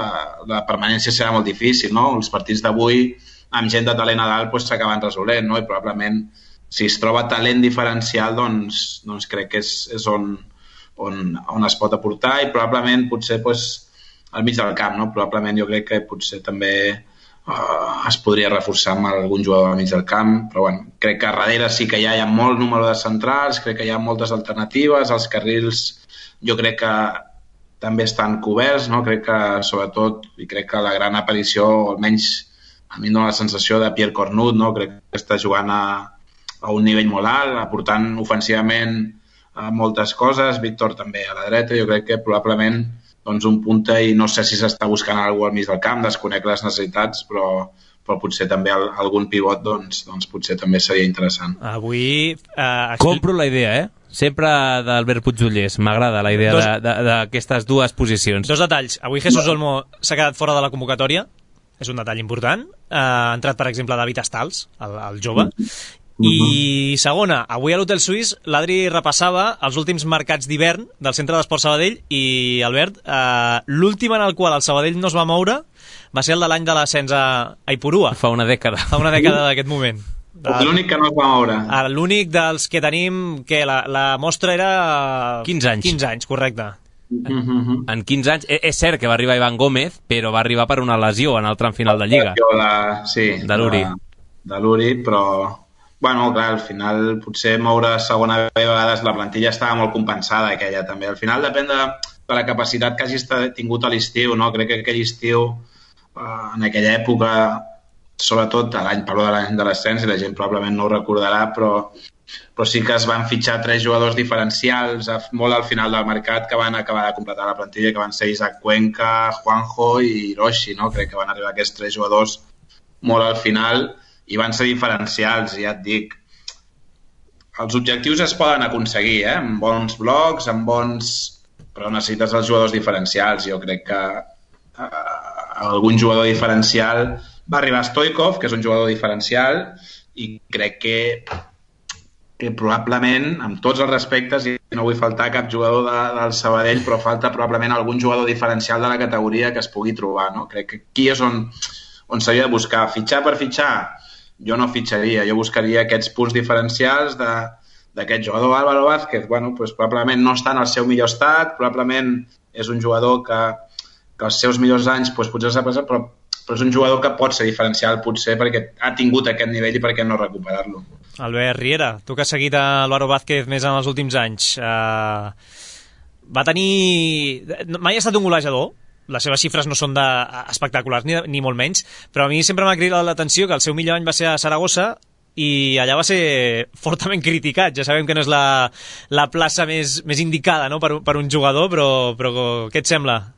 J: la permanència serà molt difícil, no? Els partits d'avui, amb gent de talent a dalt, s'acaben resolent, no? I probablement, si es troba talent diferencial, doncs crec que és on es pot aportar, i probablement potser al mig del camp, no? Probablement jo crec que potser també es podria reforçar amb algun jugador al mig del camp, però crec que a darrere sí que hi ha molt número de centrals, crec que hi ha moltes alternatives, els carrils jo crec que també estan coberts, no? Crec que sobretot, i crec que la gran aparició, almenys a mi em dona la sensació de Pierre Cornut, no? Crec que està jugant a un nivell molt alt, aportant ofensivament moltes coses, Víctor també a la dreta, jo crec que probablement un punta, i no sé si s'està buscant algú al mig del camp, desconec les necessitats, però potser també algun pivot potser també seria interessant.
B: Avui...
C: Compro la idea, sempre d'Albert Puigdollers, m'agrada la idea d'aquestes dues posicions.
B: Dos detalls, avui Jesús Olmo s'ha quedat fora de la convocatòria, és un detall important, ha entrat per exemple David Astals, el jove, i segona, avui a l'Hotel Suís l'Adri repassava els últims mercats d'hivern del Centre d'Esport Sabadell, i Albert, l'últim en el qual el Sabadell no es va moure va ser el de l'any de l'ascens a Ipurua,
C: fa una dècada
B: d'aquest moment.
J: L'únic que no es va moure.
B: L'únic dels que tenim, que la mostra era
C: 15 anys.
B: 15 anys, correcte.
C: En 15 anys, és cert que va arribar Ivan Gómez, però va arribar per una lesió en el tram final de Lliga.
J: Sí,
C: de
J: l'Uri, però clar, al final potser moure segona vegades la plantilla estava molt compensada, aquella també. Al final depèn de la capacitat que hagis tingut a l'estiu, no? Crec que aquell estiu, en aquella època, sobretot parlo de l'any de l'ascens, i la gent probablement no ho recordarà, però sí que es van fitxar 3 jugadors diferencials molt al final del mercat que van acabar de completar la plantilla, que van ser Isaac Cuenca, Juanjo i Hiroshi, no? Crec que van arribar aquests 3 jugadors molt al final, i van ser diferencials, ja et dic. Els objectius es poden aconseguir, amb bons blocs, però necessites els jugadors diferencials. Jo crec que algun jugador diferencial va arribar Stoikov, que és un jugador diferencial, i crec que probablement, amb tots els respectes, i no vull faltar cap jugador del Sabadell, però falta probablement algun jugador diferencial de la categoria que es pugui trobar, no? Crec que aquí és on s'havia de buscar. Fitxar per fitxar, jo no fitxaria, jo buscaria aquests punts diferencials d'aquest jugador. Álvaro Vázquez, probablement no està en el seu millor estat, probablement és un jugador que els seus millors anys potser s'ha passat, però és un jugador que pot ser diferencial, potser perquè ha tingut aquest nivell i per què no recuperar-lo.
B: Albert Riera, tu que has seguit Álvaro Vázquez més en els últims anys, va tenir... Mai ha estat un golejador, les seves xifres no són espectaculars ni molt menys, però a mi sempre m'ha cridat l'atenció que el seu millor any va ser a Saragossa, i allà va ser fortament criticat. Ja sabem que no és la plaça més indicada, no? per un jugador, però què et sembla?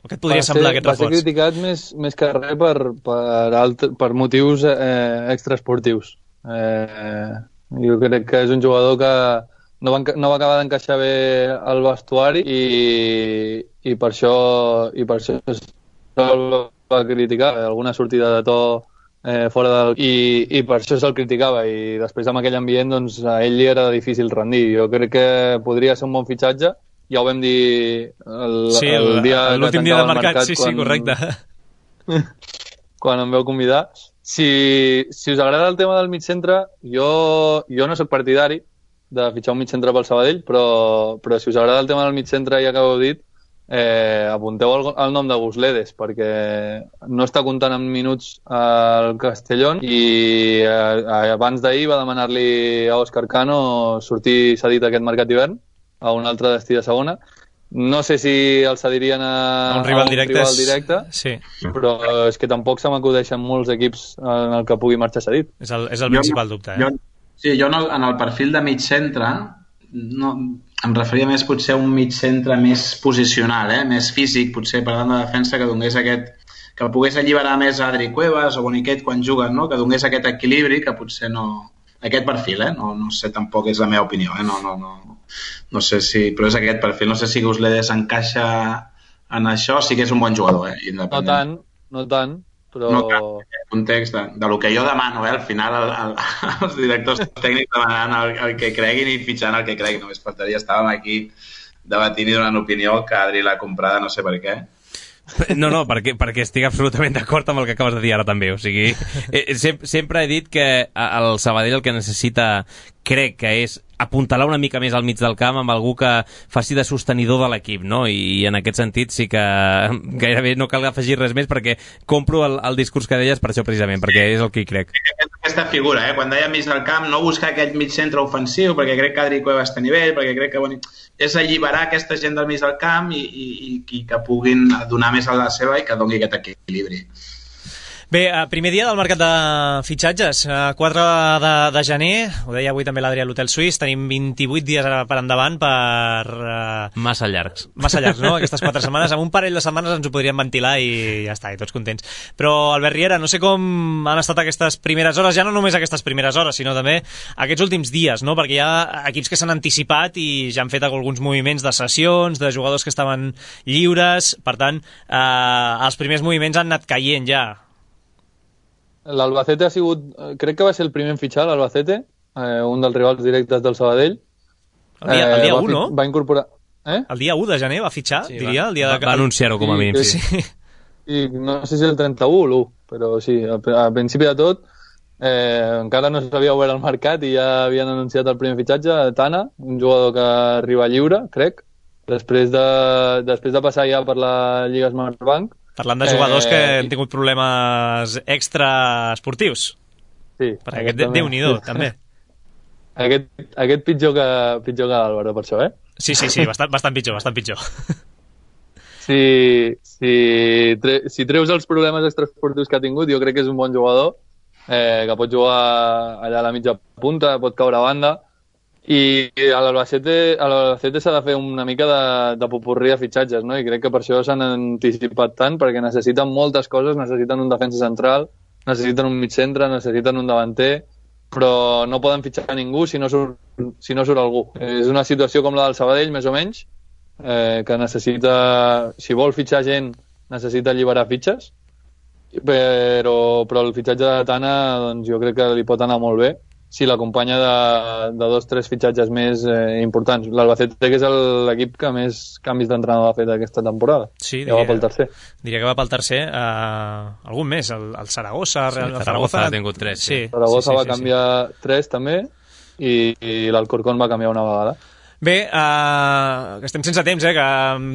B: O què et podria semblar aquest reforç?
N: Va ser criticat més que res per motius extraesportius. Jo crec que és un jugador que no va acabar d'encaixar bé el vestuari i per això se'l va criticar, alguna sortida de to fora del... I per això se'l criticava, i després amb aquell ambient doncs, a ell li era difícil rendir. Jo crec que podria ser un bon fitxatge, ja ho vam dir
B: l'últim dia del mercat, sí, correcte.
N: Quan em veu convidar. Si us agrada el tema del mig centre, jo no sóc partidari de fitxar un mig centre pel Sabadell, però si us agrada el tema del mig centre, ja que ho heu dit, apunteu el nom de Gusledes, perquè no està comptant amb minuts al Castellón i abans d'ahir va demanar-li a Òscar Cano sortir cedit aquest mercat d'hivern a un altre destí de segona. No sé si el cedirien a un rival directe,
B: sí.
N: Però és que tampoc se m'acudeixen molts equips en el que pugui marxar cedit.
B: És el principal dubte.
J: Jo en el perfil de mig centre em referia més potser a un mig centre més posicional, més físic, potser parlant de defensa, que donés que pogués alliberar més Adri Cuevas o Boniquet quan juguen, no? Que donés aquest equilibri que potser no... Aquest perfil, no sé, tampoc és la meva opinió, no sé si... Però és aquest perfil, no sé si Gusledes encaixa en això, sí que és un bon jugador, independent.
N: No tant, però...
J: No tant, en aquest context de lo que jo demano, al final els directors tècnics demanant el que creguin i fitxant el que creguin, només faltaria, estàvem aquí debatint i donant opinió que Adri l'ha comprada, no sé per què.
C: No, perquè estic absolutament d'acord amb el que acabes de dir ara també, o sigui, sempre he dit que el Sabadell el que necessita, crec que és apuntalar una mica més al mig del camp amb algú que faci de sostenidor de l'equip, no? I en aquest sentit sí que gairebé no cal afegir res més, perquè compro el discurs que deies per això precisament, perquè és el que hi crec.
J: Aquesta figura, quan deia mig del camp, no buscar aquell mig centre ofensiu, perquè crec que Adri Cuevas té nivell, perquè crec que és alliberar aquesta gent del mig del camp i que puguin donar més a la seva i que doni aquest equilibri.
B: Bé, primer dia del mercat de fitxatges, 4 de gener, ho deia avui també l'Adri a l'Hotel Suís, tenim 28 dies per endavant per...
C: Massa llargs.
B: Massa llargs, no? Aquestes 4 setmanes. En un parell de setmanes ens ho podríem ventilar i ja està, i tots contents. Però, Albert Riera, no sé com han estat aquestes primeres hores, ja no només aquestes primeres hores, sinó també aquests últims dies, no? Perquè hi ha equips que s'han anticipat i ja han fet alguns moviments de sessions, de jugadors que estaven lliures, per tant, els primers moviments han anat caient ja.
N: L'Albacete ha sigut, crec que va ser el primer en fitxar, l'Albacete, un dels rivals directes del Sabadell.
B: El dia 1, no?
N: Va incorporar...
B: El dia 1 de gener va fitxar, sí, diria. El dia
C: va anunciar-ho com a mínim, sí.
N: I no sé si el 31 o l'1, però sí, al principi de tot, encara no s'havia obert el mercat i ja havien anunciat el primer fitxatge, Tana, un jugador que arriba lliure, crec, després de passar ja per la Lliga Smartbank.
B: Parlant de jugadors que han tingut problemes extraesportius.
N: Sí.
B: Perquè aquest Déu-n'hi-do, també.
N: Aquest pitjor que l'Àlvaro, per això,
B: Sí, bastant pitjor.
N: Si treus els problemes extraesportius que ha tingut, jo crec que és un bon jugador, que pot jugar allà a la mitja punta, pot caure a banda, i a l'Albacete s'ha de fer una mica de popurrí de fitxatges, no? I crec que per això s'han anticipat tant, perquè necessiten moltes coses, necessiten un defensa central, necessiten un mig centre, necessiten un davanter, però no poden fitxar a ningú si no surt algú. És una situació com la del Sabadell, més o menys, que necessita, si vol fitxar gent, necessita alliberar fitxes, però el fitxatge de Tana doncs, jo crec que li pot anar molt bé si l'acompanya de 2 o 3 fitxatges més importants. L'Albacete, que és l'equip que més canvis d'entrenador ha fet aquesta temporada.
B: Sí,
N: va pel tercer.
B: Diria que va pel tercer. Algun més, el Saragossa.
C: Sí, el Zaragoza ha tingut 3.
B: Sí.
N: Saragossa va canviar 3 també i l'Alcorcón va canviar una vegada.
B: Bé, que estem sense temps, que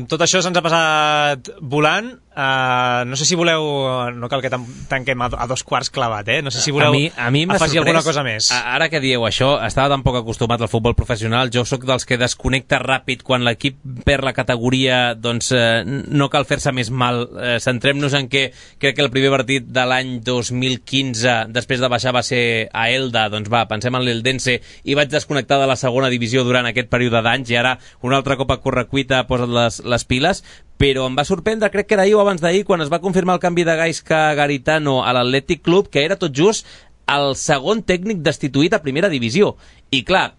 B: tot això se'ns ha passat volant. No sé si voleu... No cal que tanquem a 2 quarts clavat, No sé si voleu afegir alguna cosa més.
C: Ara que dieu això, estava tan poc acostumat al futbol professional. Jo sóc dels que desconnecta ràpid quan l'equip perd la categoria, doncs no cal fer-se més mal. Centrem-nos en que crec que el primer partit de l'any 2015, després de baixar, va ser a Elda. Doncs pensem en l'Eldense, i vaig desconnectar de la segona divisió durant aquest període d'anys, i ara un altre cop a correcuita posa't les piles. Però em va sorprendre, crec que era ahir o abans d'ahir, quan es va confirmar el canvi de Gaisca Garitano a l'Atlètic Club, que era tot just el segon tècnic destituït a primera divisió. I clar,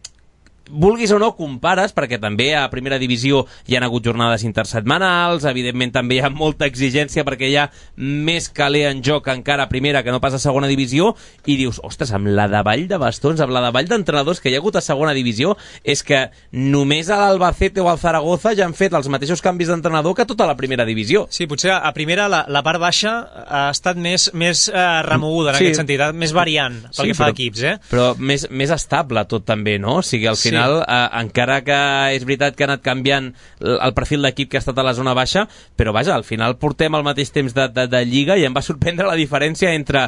C: vulguis o no, compares, perquè també a primera divisió hi ha hagut jornades intersetmanals, evidentment també hi ha molta exigència perquè hi ha més caler en joc encara a primera que no pas a segona divisió, i dius, ostres, amb la davall de bastons, amb la davall d'entrenadors que hi ha hagut a segona divisió, és que només a l'Albacete o al Zaragoza ja han fet els mateixos canvis d'entrenador que tota la primera divisió.
B: Sí, potser a primera la part baixa ha estat més remoguda en aquest sentit, més variant pel que fa a equips,
C: però més estable tot també, no? O sigui, al final, encara que és veritat que ha anat canviant el perfil d'equip que ha estat a la zona baixa, però vaja, al final portem al mateix temps de Lliga i em va sorprendre la diferència entre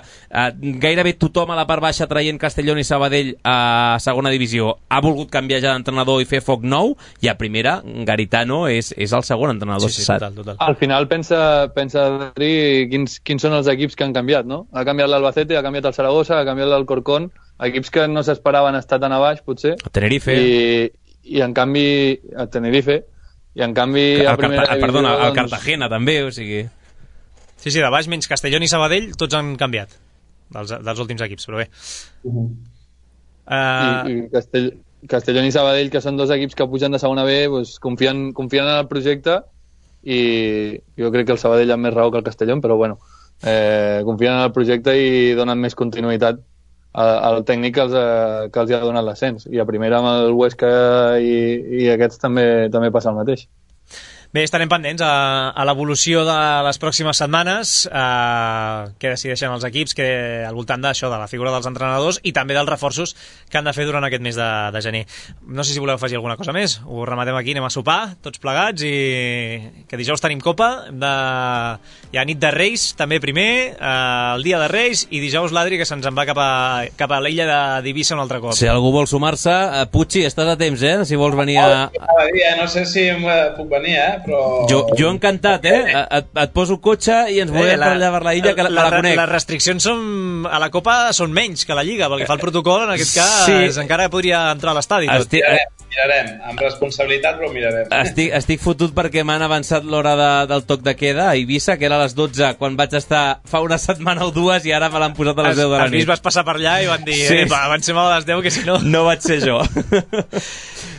C: gairebé tothom a la part baixa traient Castellón i Sabadell a segona divisió ha volgut canviar ja d'entrenador i fer foc nou, i a primera Garitano és el segon entrenador.
B: Sí, total.
N: Al final pensa Adri, quins són els equips que han canviat, no? Ha canviat l'Albacete, ha canviat el Saragossa, ha canviat l'Alcorcón, equips que no s'esperaven estar tan a baix, potser.
C: A Tenerife.
N: I en canvi, a Tenerife, i en canvi a primera divisió...
C: Perdona, al Cartagena també, o sigui...
B: Sí, de baix menys Castellón i Sabadell, tots han canviat dels últims equips, però bé.
N: I Castellón i Sabadell, que són dos equips que pugen de segona B, doncs confien en el projecte, i jo crec que el Sabadell ha més raó que el Castellón, però bueno, confien en el projecte i donen més continuïtat al tècnic que els ha donat l'ascens, i a primera amb el Huesca i aquests també passa el mateix.
B: Bé, estarem pendents a l'evolució de les pròximes setmanes, què decideixen els equips, que al voltant d'això, de la figura dels entrenadors i també dels reforços que han de fer durant aquest mes de gener. No sé si voleu afegir alguna cosa més, ho rematem aquí, anem a sopar tots plegats, i que dijous tenim Copa, hi ha nit de Reis també primer, el dia de Reis, i dijous l'Adri que se'ns en va cap a l'illa d'Eivissa un altre cop.
C: Si algú vol sumar-se, Puig, estàs a temps, si vols venir
J: No sé si puc venir, però...
C: Jo encantat, et poso cotxe i ens volem per allà per la illa, que la conec.
B: Les restriccions a la Copa són menys que la Lliga, perquè fa el protocol, en aquest cas encara podria entrar a l'estadi.
J: Mirarem, amb responsabilitat, però mirarem.
C: Estic fotut perquè m'han avançat l'hora del toc de queda a Eivissa, que era a les 12, quan vaig estar fa una setmana o dues, i ara me l'han posat a les 10 de la nit.
B: Els vas passar per allà i van dir, avancem a les 10, que si no...
C: No vaig ser jo.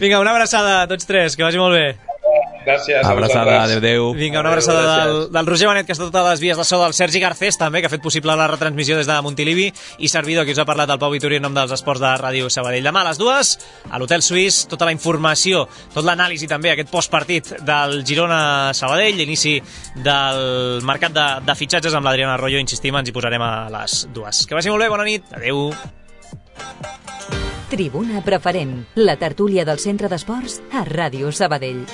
B: Vinga, una abraçada a tots tres, que vagi molt bé.
J: Gràcies.
C: Abraçada, adéu.
B: Vinga, una abraçada del Roger Benet, que està a totes les vies de so, del Sergi Garcés també, que ha fet possible la retransmissió des de Montilivi, i servidor, que us ha parlat del Pau Vitori en nom dels esports de Ràdio Sabadell. Demà a les 2, a l'Hotel Suís, tota la informació, tot l'anàlisi també, aquest postpartit del Girona-Sabadell, l'inici del mercat de fitxatges amb l'Adriana Arroyo, insistim, ens hi posarem a les 2. Que vagi molt bé, bona nit, adéu.
A: Tribuna Preferent, la tertúlia del Centre d'Esports a Ràdio Sabadell.